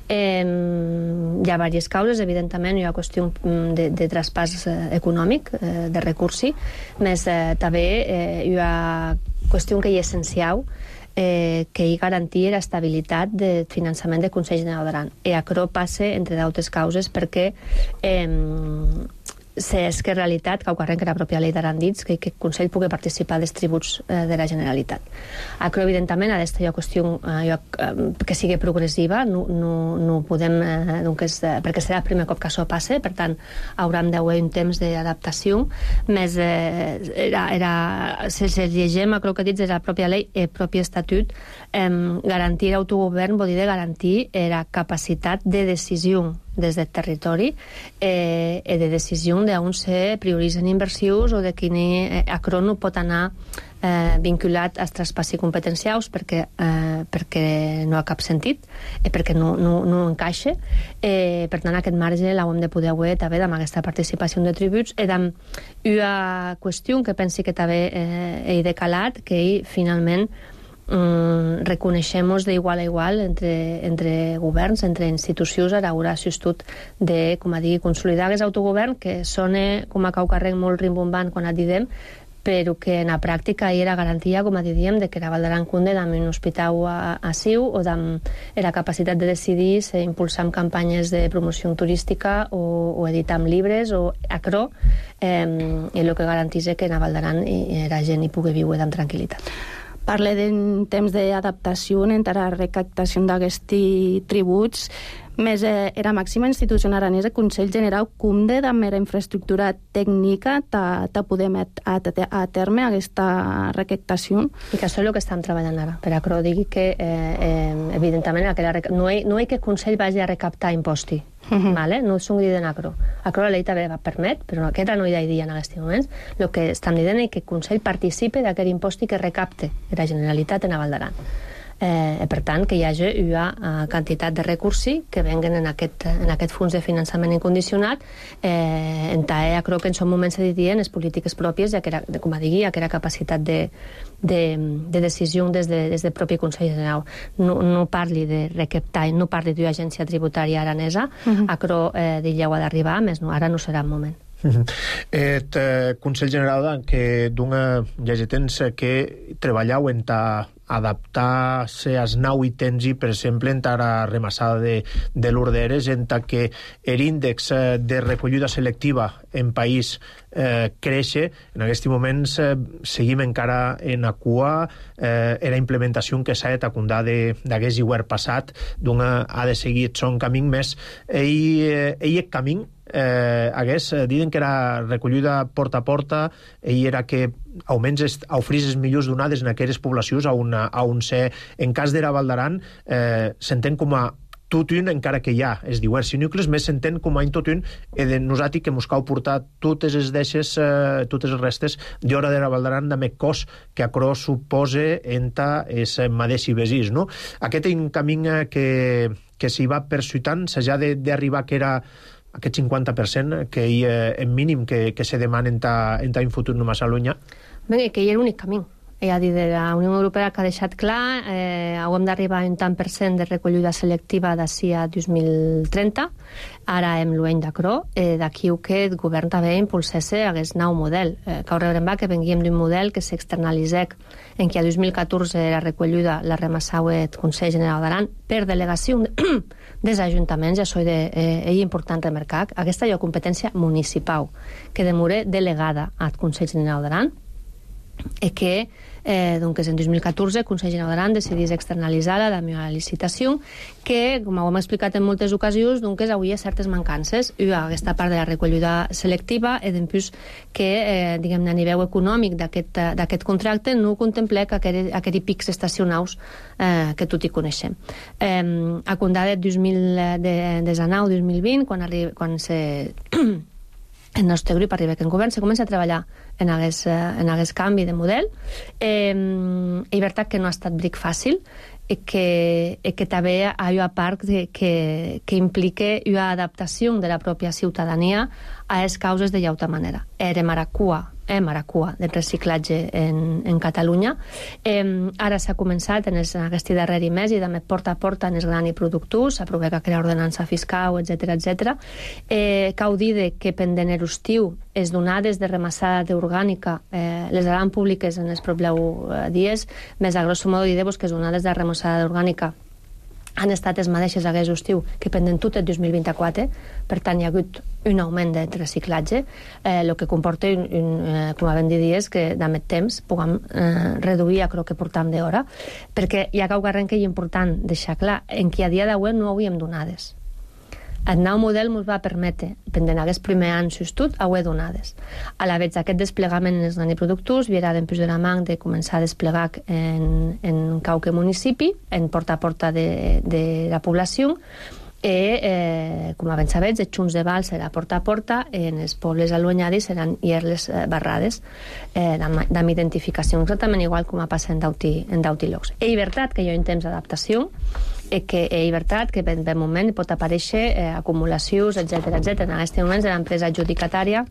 Hi ha diverses causes, evidentment hi ha qüestió de traspàs econòmic, de recursi, més també hi ha qüestió que hi és essencial, que hi garantir l'estabilitat de finançament del Consell General d'Aran. I això passa, entre d'altres causes, perquè és que en realitat, que ocorre que la pròpia llei d'Aran dits, que el Consell pugui participar dels tributs de la Generalitat. Això, evidentment, ha d'estar una qüestió que sigui progressiva, no podem, perquè serà el primer cop que això passe, per tant, hauran d'haver un temps d'adaptació, més si llegim el que dits de la pròpia llei i el propi estatut, garantir l'autogovern vol dir garantir la capacitat de decisió des del territori i de decisió d'on se prioritzen inversions o de quin acrò no pot anar vinculat als traspassi competencials perquè no ha cap sentit i perquè no encaixa. Per tant, aquest marge l'hem de poder haver també amb aquesta participació de tributs i amb una qüestió que pensi que també he decalat, que finalment reconeixem d'igual a igual entre governs, entre institucions, a l'hora assistit de, com a dir, consolidar aquest autogovern que sona com a caucarrec molt rimbombant quan et diem, però que en la pràctica hi era garantia, com a diríem, de que la Val d'Aran conde amb un hospital a Siu o amb la capacitat de decidir si impulsar amb campanyes de promoció turística o editar amb llibres o acrò, i el que garantís que la Val d'Aran la gent hi pugui viure amb tranquil·litat. Parle d'un temps d'adaptació entre la recaptació d'aquests tributs, més la màxima institució aranesa, Consell General, com de mera infraestructura tècnica de poder a terme aquesta recaptació? I que això és el que estem treballant ara. Per això digui que, evidentment, no hi que el Consell vagi a recaptar imposti. No és un dit en acro. Acro la llei també permet, però aquesta no hi ha idea en aquests moments. El que estem dient és que el Consell participe d'aquest impost que recapte la Generalitat en la Val d'Aran. Per tant, que hi hagi una quantitat de recursos que venguen en aquest fons de finançament incondicionat, en tal crec que en són moments se didien les polítiques pròpies, com a digui, aquella capacitat de decisió des del propi Consell General. No parli de recaptar, no parli d'una agència tributària aranesa, però d'ella ho ha d'arribar, més ara no serà el moment. El Consell General que dona temps que treballau en adaptar-se als nous ítems i, per exemple, en la remassada de l'orderes, en que l'índex de recollida selectiva en país créixer. En aquests moments seguim encara en la cua. La implementació que s'ha de tacundar d'aquest hivern passat ha de seguir son camí més. El camí diuen que era recollida porta a porta i era que almenys oferís les millors donades en aquelles poblacions on en cas de la Val d'Aran s'entén com a tot un, encara que hi ha els diversos nuclis, més s'entén com a tot un, de nosaltres que mos cau portar totes les deixes, totes les restes d'hora de la Val d'Aran, de més cos que acrò suposa enta els maders i vesís, no? Aquest és un camí que s'hi va persuitant, s'ha d'arribar que era aquest 50% que hi en mínim que se demana en un futur no massa llunyà. Bé, que hi era l'únic camí. És a dir, de la Unió Europea que ha deixat clar, hem d'arribar a un tant per cent de recollida selectiva d'ací a 2030. Ara hem l'any d'acrò, d'aquí que el govern també impulsés aquest nou model. Cau rebrembar que venguem d'un model que s'externalitzec en què a 2014 la recollida la remassau el Consell General d'Aran per delegació dels ajuntaments, això és important remarcar. Aquesta és competència municipal que demora delegada al Consell General d'Aran i que doncs en 2014 el Consell General d'Aran decidís externalitzar-la de la licitació que, com ho hem explicat en moltes ocasions, doncs hi ha certes mancances. Aquesta part de la recollida selectiva i després que, diguem-ne, a nivell econòmic d'aquest contracte no contempla aquests pics estacionals que tot hi coneixem. A comptar de 2019-2020, quan el nostre grup arriba que en govern se comença a treballar en aquest canvi de model. És veritat que no ha estat bric fàcil i que també hi ha una part que implica una adaptació de la pròpia ciutadania a les causes de llauta manera. Era maracua del reciclatge en Catalunya. Ara s'ha començat en aquest darrer mes i també porta a porta en els grans productors, s'aprova que la ordenança fiscal, etc. Cau dir que pendent l'estiu les donades de remassada d'orgànica les seran públiques en els propers dies, més a grosso modo dir-vos que les donades de remassada d'orgànica han estat els mateixos aquest estiu que pendent tot el 2024, per tant hi ha hagut un augment de reciclatge, el que comporta, com vam dir, és que d'aquest temps puguem reduir el que portam d'hora, perquè hi ha quelcom que és important deixar clar, en què a dia d'avui no havíem donades. El nou model ens va permetre, pendent aquest primer any sustot, haver donades. A la vegada, aquest desplegament en els grans productors virà després de la mà de començar a desplegar en qualque municipi, en porta a porta de la població, i, com abans sabets, els xunts de val serà porta a porta, en els pobles allunyats seran les barrades amb identificació, exactament igual com ha passat en d'auti llocs. És veritat que hi ha un temps d'adaptació, que és veritat que en un moment pot aparèixer acumulacions, etc. En aquest moment l'empresa adjudicatària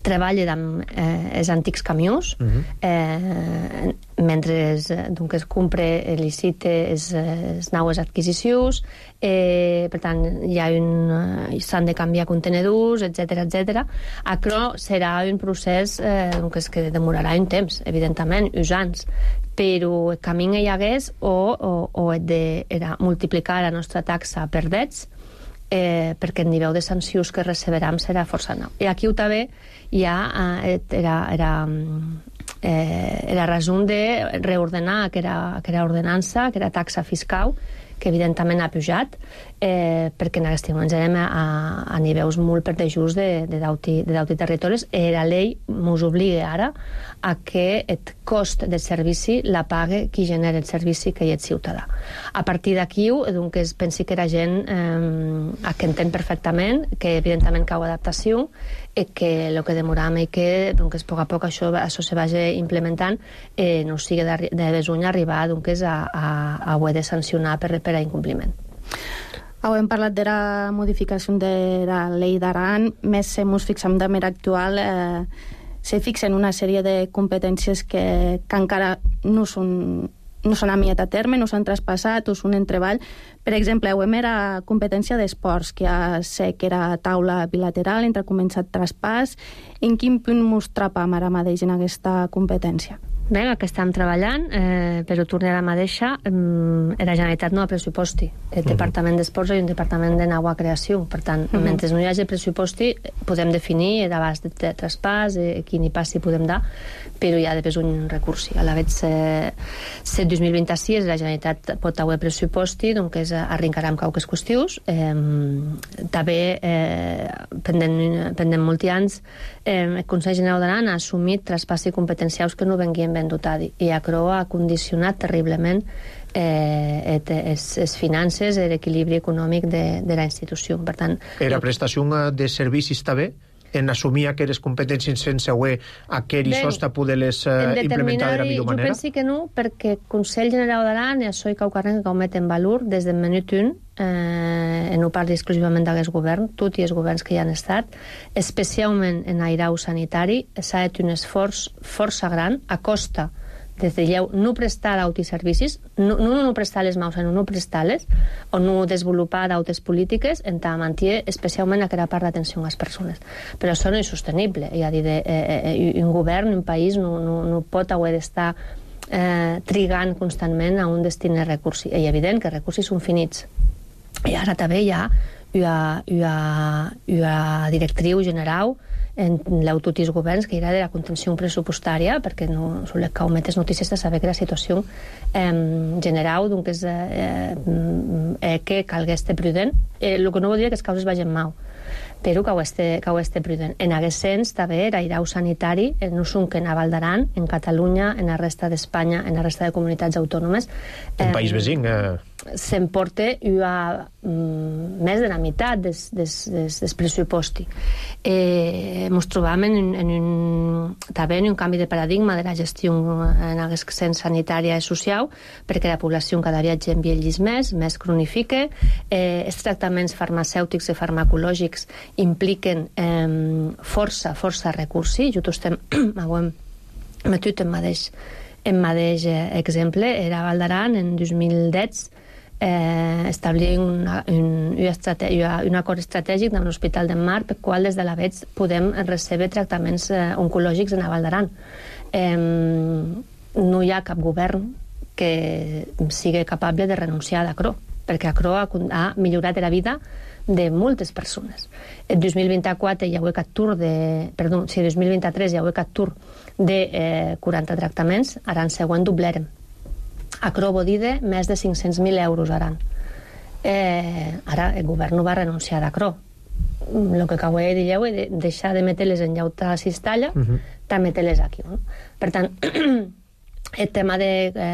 treballa amb els antics camions, mentre es compra, licita les noves adquisicions, per tant s'han de canviar contenedors, etc. Això serà un procés que demorarà un temps, evidentment, uns anys, però el camí hi hagués o era multiplicar la nostra taxa per dets, perquè el nivell de sancions que receberam serà força nou. I aquí també hi ha la raó de reordenar aquella ordenança, aquella taxa fiscal, que evidentment ha pujat, perquè en aquest moment anem a nivells molt per dejús de d'auti territoris, i la llei ens obliga ara a que el cost del servici la pague qui genera el servici, que és el ciutadà. A partir d'aquí, es pensi que la gent que entén perfectament, que evidentment cau adaptació, i que el que demoram i que a poc a poc això se vagi implementant, no sigui de besuny arribar a haver de sancionar per a incompliment. Hem parlat de la modificació de la llei d'Aran, més si ens fixem de manera actual, se fixen una sèrie de competències que encara no són amiat a terme, no s'han traspassat o són en treball. Per exemple, era competència d'esports, que ja sé que era taula bilateral entre començat traspàs. En quin punt ens trapam ara mateix en aquesta competència? Bé, que estem treballant, però tornar a la mateixa, la Generalitat no ha pressuposti. El Departament d'Esports i un Departament de nova creació. Per tant, mentre no hi hagi pressuposti, podem definir l'abast de traspàs, quin hi passi podem dar, però hi ha de un recurs. A la vegada, si el 2026 la Generalitat pot haver pressuposti, doncs arrencarà amb qualques qüestions. També, pendent molts anys, el Consell General d'Aran ha assumit traspassi competencials que no venguien ben dotat, i això ha condicionat terriblement les finances i l'equilibri econòmic de la institució. Per tant, la prestació de servicis també en assumir aquelles competències sense aquell sosta poder-les implementar de la millor manera? Jo penso que no, perquè el Consell General d'Aran és això que ho met en valor des del minut 1, no parli exclusivament d'aquest govern, tots els governs que hi han estat, especialment en l'airau sanitari, s'ha fet un esforç força gran a costa des de lleu no prestar d'autoservicis, no prestar les maus, sinó no prestar-les, o no desenvolupar d'autes polítiques en tant manté especialment aquella part d'atenció a les persones. Però això no és sostenible. És a dir, un govern, un país, no pot haver d'estar trigant constantment a un destí de recursos. És evident que els recursos són finits. I ara també hi ha una directriu general en tots els governs que era de la contenció pressupostària, perquè no solen caure més notícies de saber que la situació general doncs és que calgués estar prudent. El que no vol dir que les causes vagin mal, però que ho esté prudent. En aquest sens, també, l'airau sanitari no són que en Val d'Aran, en Catalunya, en la resta d'Espanya, en la resta de comunitats autònomes. En país vecí. S'emporta més de la meitat del pressupost. Ens trobam també en un canvi de paradigma de la gestió en aquest sens sanitària i social, perquè la població cada dia envelleix més cronifica, els tractaments farmacèutics i farmacològics impliquen força recursos. Jo estem metut en mateix exemple. Era Val d'Aran en 2010 establir un acord estratègic amb l'Hospital del Mar per qual des de la VETS podem rebre tractaments oncològics en Val d'Aran. No hi ha cap govern que sigui capaç de renunciar a Acro, perquè Acro ha millorat la vida de moltes persones. En 2024 hi ha hagut en 2023 hi ha hagut captur de 40 tractaments, ara en següent doblerem. Acro vol dir més de 500.000 euros ara. Ara el govern no va renunciar d'Acro. El que acabo de dir és deixar de metre-les en llauta a Cistalla, també metre-les aquí. Per tant,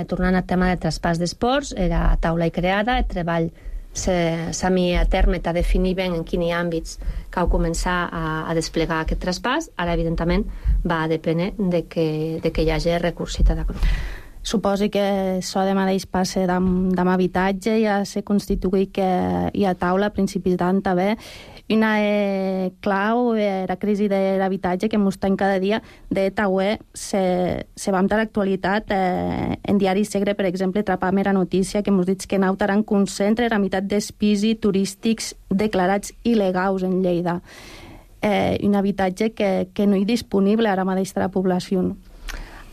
tornant al tema de traspàs d'esports, era taula i creada, el treball s'ha mis a terme a definir ben en quins àmbits cal començar a desplegar aquest traspàs. Ara, evidentment, va dependre de que hi hagi recursos d'Acro. Suposi que això de mateix passa amb habitatge, ja se constituït que hi ha taula a principis d'any també. Una clau la crisi de l'habitatge que mos tenc cada dia de Tauè se va amb l'actualitat en Diari Segre, per exemple, trapam era notícia que mos dit que Nautaran concentra la meitat dels pisos turístics declarats il·legals en Lleida. Un habitatge que no hi disponible ara mateix de la població.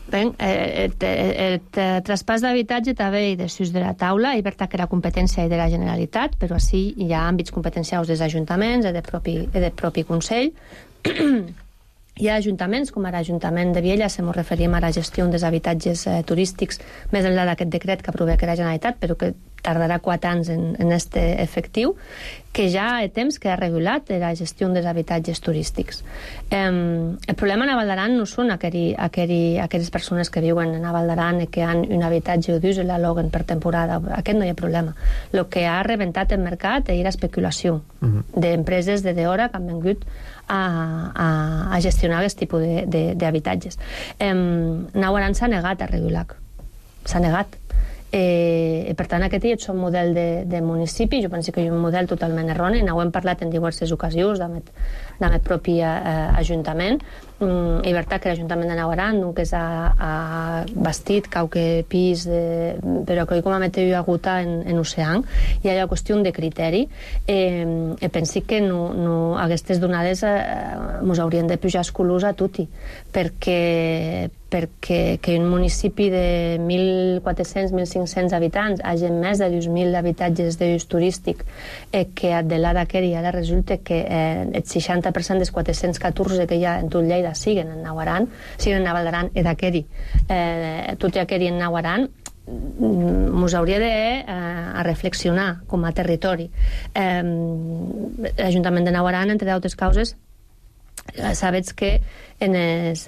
Bé, el traspàs d'habitatge també hi desús de la taula, i per tant que la competència de la Generalitat, però així hi ha àmbits competencials dels ajuntaments i del propi Consell. Hi ha ajuntaments, com ara l'Ajuntament de Viella, si ens referim a la gestió dels habitatges turístics, més enllà d'aquest decret que aprova la Generalitat, però que tardarà 4 anys en este efectiu, que ja ha temps que ha regulat la gestió dels habitatges turístics. El problema a Val d'Aran no són aquelles persones que viuen a Val d'Aran i que han un habitatge d'ús i l'aloguen per temporada. Aquest no hi ha problema. El que ha rebentat el mercat és l'especulació d'empreses de d'hora que han vingut a gestionar aquest tipus d'habitatges. Nautaran s'ha negat a regular. S'ha negat. Per tant, aquest és un model de municipi. Jo penso que és un model totalment erroni. N'ho hem parlat en diverses ocasions amb el propi Ajuntament. És veritat que l'Ajuntament de Nautaran que ha bastit qualque pis, però que com a meteu aguta en oceà. Hi ha una qüestió de criteri. Penso que aquestes donades ens haurien de pujar escolors a tutti, perquè que un municipi de 1.400-1.500 habitants hagi més de 2.000 habitatges d'ús turístic, que de l'Adaqueri ara resulta que el 60% dels 414 que hi ha en tot Lleida siguen en Nautaran, siguen a Val d'Aran i d'Aqueri. Tot i Aqueri en Nautaran ens hauria de reflexionar com a territori. L'Ajuntament de Nautaran, entre d'altres causes, Sabets que en els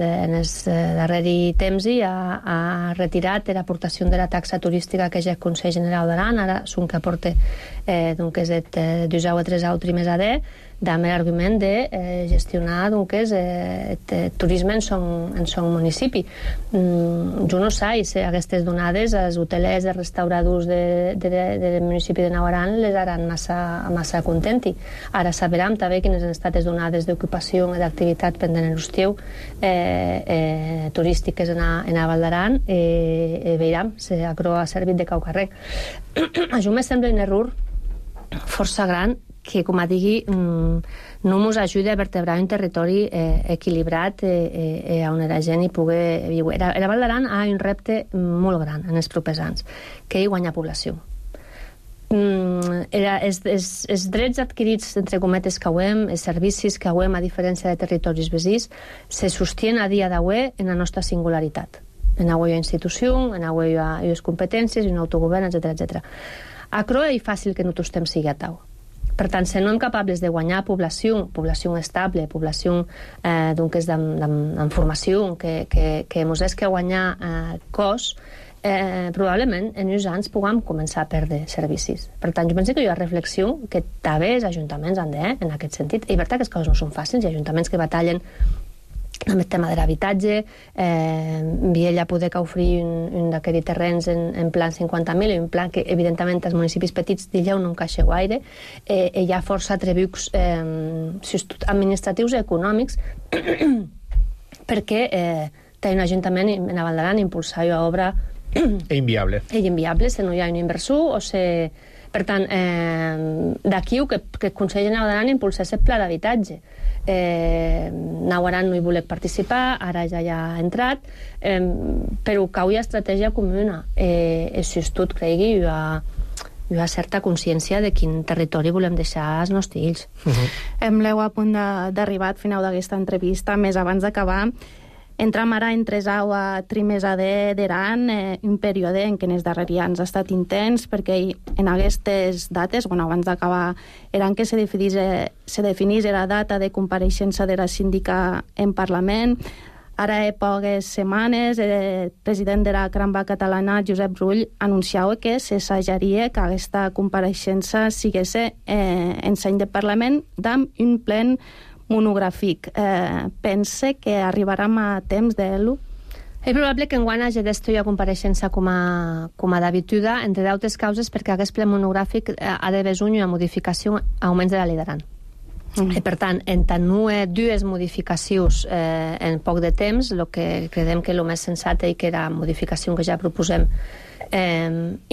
darrers temps ha retirat l'aportació de la taxa turística que ja el Consell General d'Aran, ara són que aporta doncs el 2 o 3 més a D, amb l'argument de gestionar doncs el turisme en son municipi. Jo no sé si aquestes donades als hotelers, als restauradors del municipi de Naut-Aran les haran massa contenti. Ara saberem també quines han estat les donades d'ocupació i d'activitat pendent l'estiu turístiques en a Val d'Aran i veurem si aquello ha servit de caucarrec. A mi me sembla un error força gran que, com a digui, no ens ajuda a vertebrar un territori equilibrat on la gent hi pugui viure. La Val d'Aran ha un repte molt gran en els propers anys, que és guanyar població. Els drets adquirits, entre cometes, que hem, els servicis que hem, a diferència de territoris veïns, se sostien a dia d'avui en la nostra singularitat. En avui hi ha institució, en avui hi ha les competències, un autogovern, etc. A Croa és fàcil que no tostem sigui a tau. Per tant, si no som capables de guanyar població estable, població amb formació, que ens és que guanyar cos, probablement en uns anys puguem començar a perdre servicis. Per tant, jo penso que hi ha reflexió que també els ajuntaments han de, en aquest sentit. És veritat que les coses no són fàcils, hi ha ajuntaments que batallen amb el tema de l'habitatge, Viella poder que oferir un d'aquests terrenys en plan 50.000, un plan que evidentment als municipis petits d'Illeu no encaixa gaire, hi ha força atributs administratius i econòmics perquè té un ajuntament en Val d'Aran impulsar una obra inviable. Inviable, si no hi ha un inversor o si... Per tant, d'aquí que el Consell General d'Aran impulsés el pla d'habitatge. Naut-Aran no hi volia participar, ara ja hi ha entrat, però cau hi ha estratègia comuna. Si tot cregui, hi ha certa consciència de quin territori volem deixar als nostres fills. Hem l'heu a punt d'arribar al final d'aquesta entrevista. Més abans d'acabar, entram ara en tresau a trimesa d'Aran, un període en què en els darrers anys ha estat intens, perquè en aquestes dates, abans d'acabar, eren que se definís la data de compareixença de la síndica en Parlament. Ara, a poques setmanes, el president de la Cramba Catalana, Josep Rull, anunciava que s'assajaria que aquesta compareixença sigués en seny de Parlament amb un plen monogràfic. Pense que arribarem a temps d'ell? És probable que enguany hagi d'estar a compareixença com a d'habituda, entre d'altres causes perquè aquest ple monogràfic ha de haver una modificació augments de la Llei d'Aran. I per tant, en tant no dues modificacions en poc de temps, el que creiem que el més sensat i que era modificació que ja proposem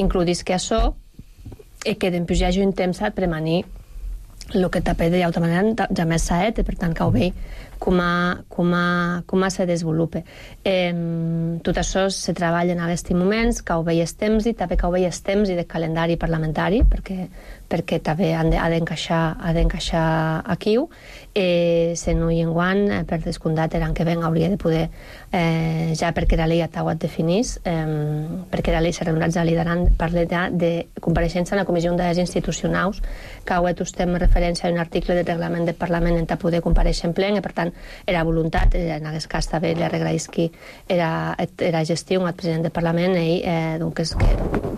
incloïs que això i que després hi hagi un temps per manir el que també d'altra manera ja més s'ha et, per tant que ho veig com se desenvolupa. Tot això se treballa en aquests moments, que ho veig els temps i també que ho veig els temps i de calendari parlamentari, perquè també ha d'encaixar aquí. Si no hi enguany, per descomptat, l'any que ven hauria de poder, ja perquè la llei ha tauat definís, perquè la llei s'ha regulat, ja li daran parla de compareixença en la Comissió d'Afers Institucionals, que ho estem referència a un article del reglament del Parlament en poder compareixer en plen, i per tant era voluntat, en aquest cas també li agraeix que era gestió al president del Parlament i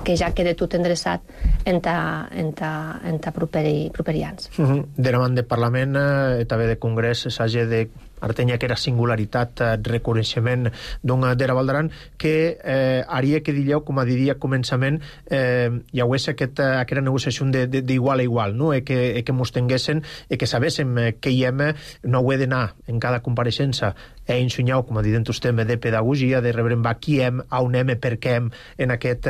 que ja quede tot endreçat en properi anys. De davant del Parlament també de Congrés s'hagi de artenya que era singularitat, reconeixement de la Val d'Aran, que haria que digueu, com a diria començament, hi hagués aquesta negociació d'igual a igual, no? Que mos tinguessin i que sabéssim que hi hem, no ho he d'anar en cada compareixença a ensenyar, com a dit vostè, de pedagogia, de rebre qui hem, on hem, per què hem, en aquest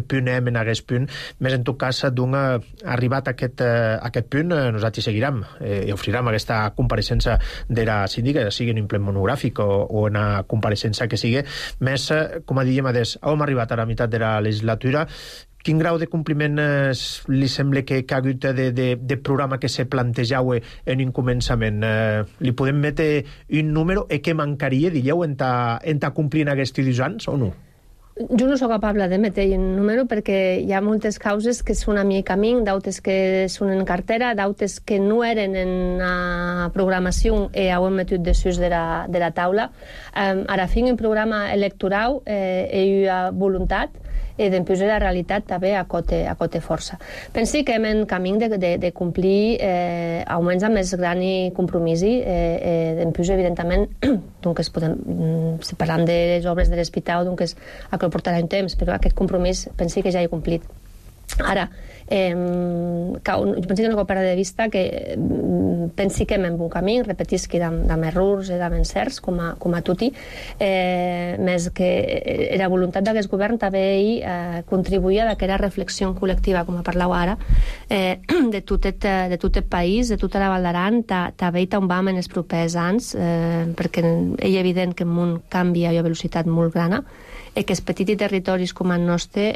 punt hem, en aquest punt. Més en tot cas, arribat a aquest punt, nosaltres seguirem i oferirem aquesta compareixença de la síndica, sigui en un ple monogràfic o en una compareixença que sigui. Més, com a diem, hem arribat a la meitat de la legislatura. Quin grau de compliment li sembla que ha hagut de programa que se plantejau en un començament? Li podem metre un número i què mancaria, dieu, en complir aquests 2 anys o no? Jo no sóc capable de metre un número perquè hi ha moltes causes que són a mi camí, d'altres que són en cartera, d'altres que no eren en programació i ho hem metut desús de la taula. Ara fent un programa electoral hi ha voluntat i després la realitat també a cote força. Pensi que hem en camí de complir augments amb més gran i compromís després, evidentment, doncs parlant de les obres de l'hospital, doncs que portarà un temps, però aquest compromís pensi que ja he complit. Ara, jo penso que no cal perdre de vista que pensi que hem en bon camí, repetisc amb errors i amb encerts, com a tutti, més que la voluntat d'aquest govern també contribuïa a aquella reflexió col·lectiva, com parlau ara, de tot el país, de tota la Val d'Aran, també on vam en els propers anys, perquè és evident que el món canvia a una velocitat molt gran, i que els petits territoris com el nostre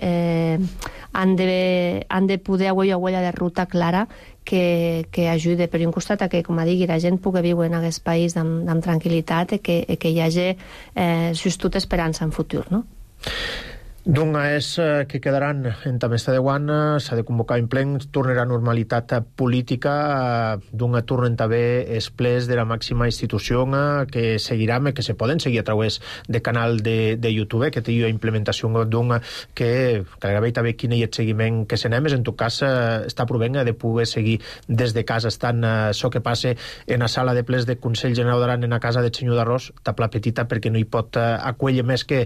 han de poder haver una huella de ruta clara que ajude per un costat a que, com digui, la gent pugui viure en aquest país amb tranquil·litat i que hi hagi justot esperança en futur, no? Doncs és que quedaran en també està de guant, s'ha de convocar en plen, tornarà a normalitat política, d'un tornen també els plens de la màxima institució que seguiran, que se poden seguir a través de canal de YouTube, que té una implementació d'un que gairebé també quin és el seguiment que se n'hem, en tot cas està provent de poder seguir des de casa, estant això que passa en la sala de plens de Consell General d'Aran en la casa de Senyor d'Arròs, tapla petita perquè no hi pot acollir més que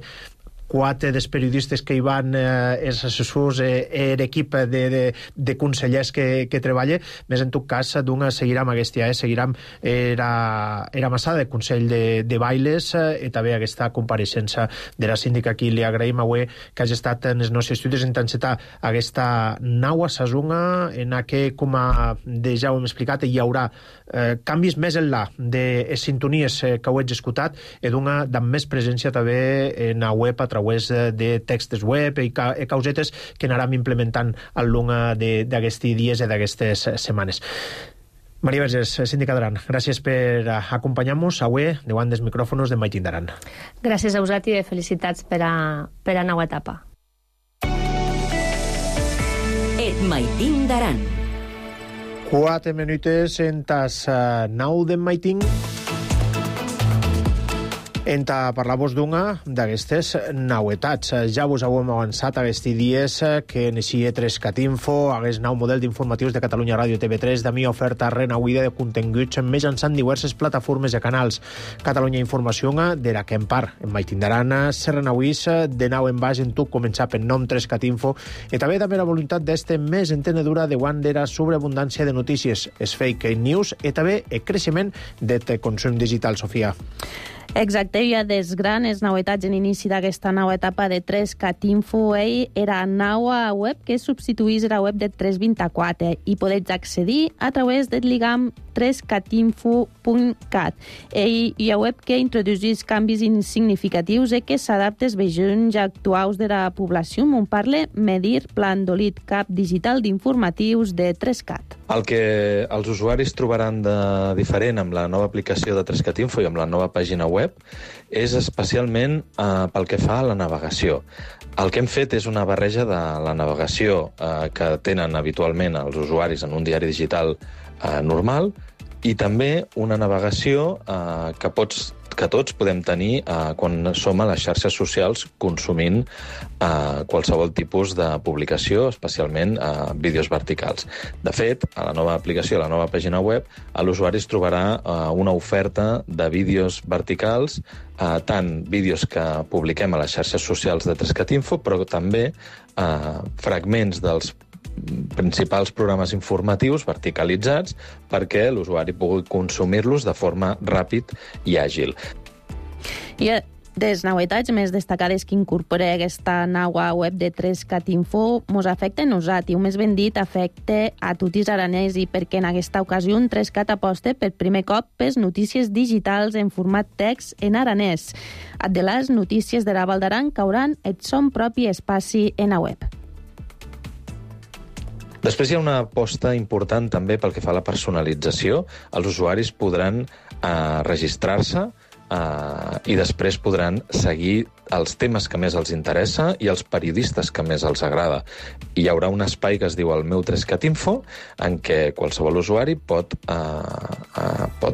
4 dels periodistes que hi van, els assessors, l'equip de consellers que treballa, més en tot cas seguirà amb aquesta, seguirà era massada de Consell de Bailes i també aquesta compareixença de la síndica. Aquí li agraïm avui que hagi estat en els nostres estudis en encetar aquesta nau a Sazunga, en què, com ja ho hem explicat, hi haurà canvis més enllà de sintonies que ho he escoltat i amb més presència també en la web a través de textos web i causetes que anàrem implementant al long d'aquests dies i d'aquestes setmanes. Maria Vergés, síndica d'Aran, gràcies per acompanyar-nos avui davant dels micròfons de Maitín d'Aran. Gràcies a vosaltres i felicitats per a nova etapa. Et Maitín d'Aran. 4 minutes en tas 9 de Maitín. Enta parlar-vos d'una d'aquestes nauetats. Ja vos heu avançat aquests dies que neixia 3CAT-Info, aquest nou model d'informatius de Catalunya Ràdio TV3, de mi oferta renauida de continguts mitjançant diverses plataformes i canals. Catalunya Informació de la que en part en Maitín d'Aran se renauís de nou en baix en tot començar per nom 3CAT-Info i també la voluntat d'este més entenedura de guant de la sobreabundància de notícies, es fake news i també el creixement del consum digital, Sofia. Exacte, hi ha des grans novetats en inici d'aquesta nova etapa de 3CAT-Info. Era nova web que substituís la web de 324 i podeu accedir a través del lligam 3catinfo.cat. Hi ha web que introduís canvis significatius i que s'adapta als vejons actuals de la població. On parla Medir Plandolit, cap digital d'informatius de 3CAT. El que els usuaris trobaran de diferent amb la nova aplicació de 3CAT-Info i amb la nova pàgina web és especialment pel que fa a la navegació. El que hem fet és una barreja de la navegació que tenen habitualment els usuaris en un diari digital normal i també una navegació que tots podem tenir quan som a les xarxes socials consumint qualsevol tipus de publicació, especialment vídeos verticals. De fet, a la nova aplicació, a la nova pàgina web, l'usuari es trobarà una oferta de vídeos verticals, tant vídeos que publiquem a les xarxes socials de 3CAT-Info, però també fragments dels principals programes informatius verticalitzats perquè l'usuari pugui consumir-los de forma ràpid i àgil. I des novetats més destacades que incorpora aquesta nova web de 3CAT-Info mos afecta a nosaltres, o més ben dit, afecta a tots els aranesi, perquè en aquesta ocasió 3CAT aposta per primer cop per notícies digitals en format text en aranès. De les notícies de la Val d'Aran cauran el son propi espaci en la web. Després hi ha una aposta important també pel que fa a la personalització. Els usuaris podran registrar-se i després podran seguir els temes que més els interessa i els periodistes que més els agrada. Hi haurà un espai que es diu el meu 3cat Info, en què qualsevol usuari pot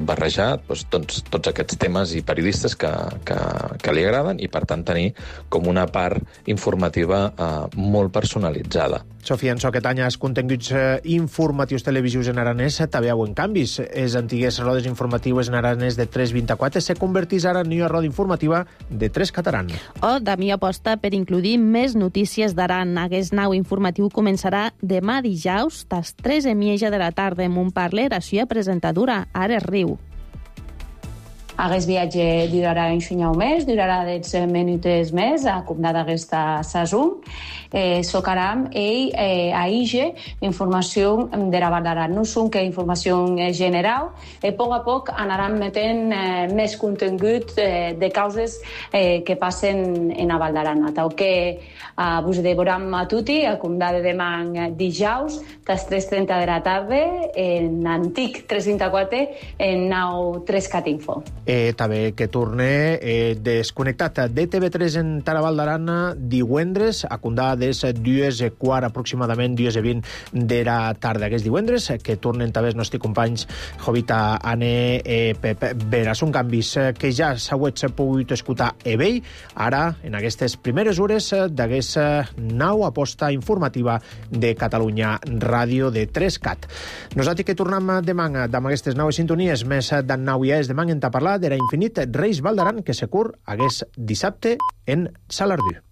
barrejar tots aquests temes i periodistes que li agraden i, per tant, tenir com una part informativa molt personalitzada. Sofia, en aquest any els continguts informatius televisius en aranès també veuen canvis. Les antigues rodes informatives en aranès de 3.24 se convertís ara en nova roda informativa de 3 catalán. O Damí aposta per incluir més notícies d'Aran. Aquest nou informatiu començarà demà dijous, tas 3:30 de la tarda, amb un parler a la presentadora Ares Riu. Aquest viatge durarà un xunyau més, durarà 10 minuts més, a comptar d'aquesta saison. Socaram a IGE informació de la Val d'Aran. No són que informació general, a poc anaran metent més contingut de causes que passen en la Val d'Aran. Tal que vos devoram a tutti, a comptar de demà dijous, a les 3:30 de la tarda, en antic 334, en nou 3cat Info. També que torne desconnectat de TV3 en Taraval d'Arana divendres, a comptar des 2:15 aproximadament, 2:20 de la tarda. Aquests divendres que tornen també els nostres companys Jovita, Anne, Pep Vera. Són canvis que ja s'ha pogut escoltar a vell, ara en aquestes primeres hores d'aquesta nau aposta informativa de Catalunya Ràdio de 3cat. Nosaltres que tornem demà amb aquestes noves sintonies, més d'en nau ja és demà en parlar d'era Infinit Reis Val d'Aran, que se cur hagués dissabte en Salardú.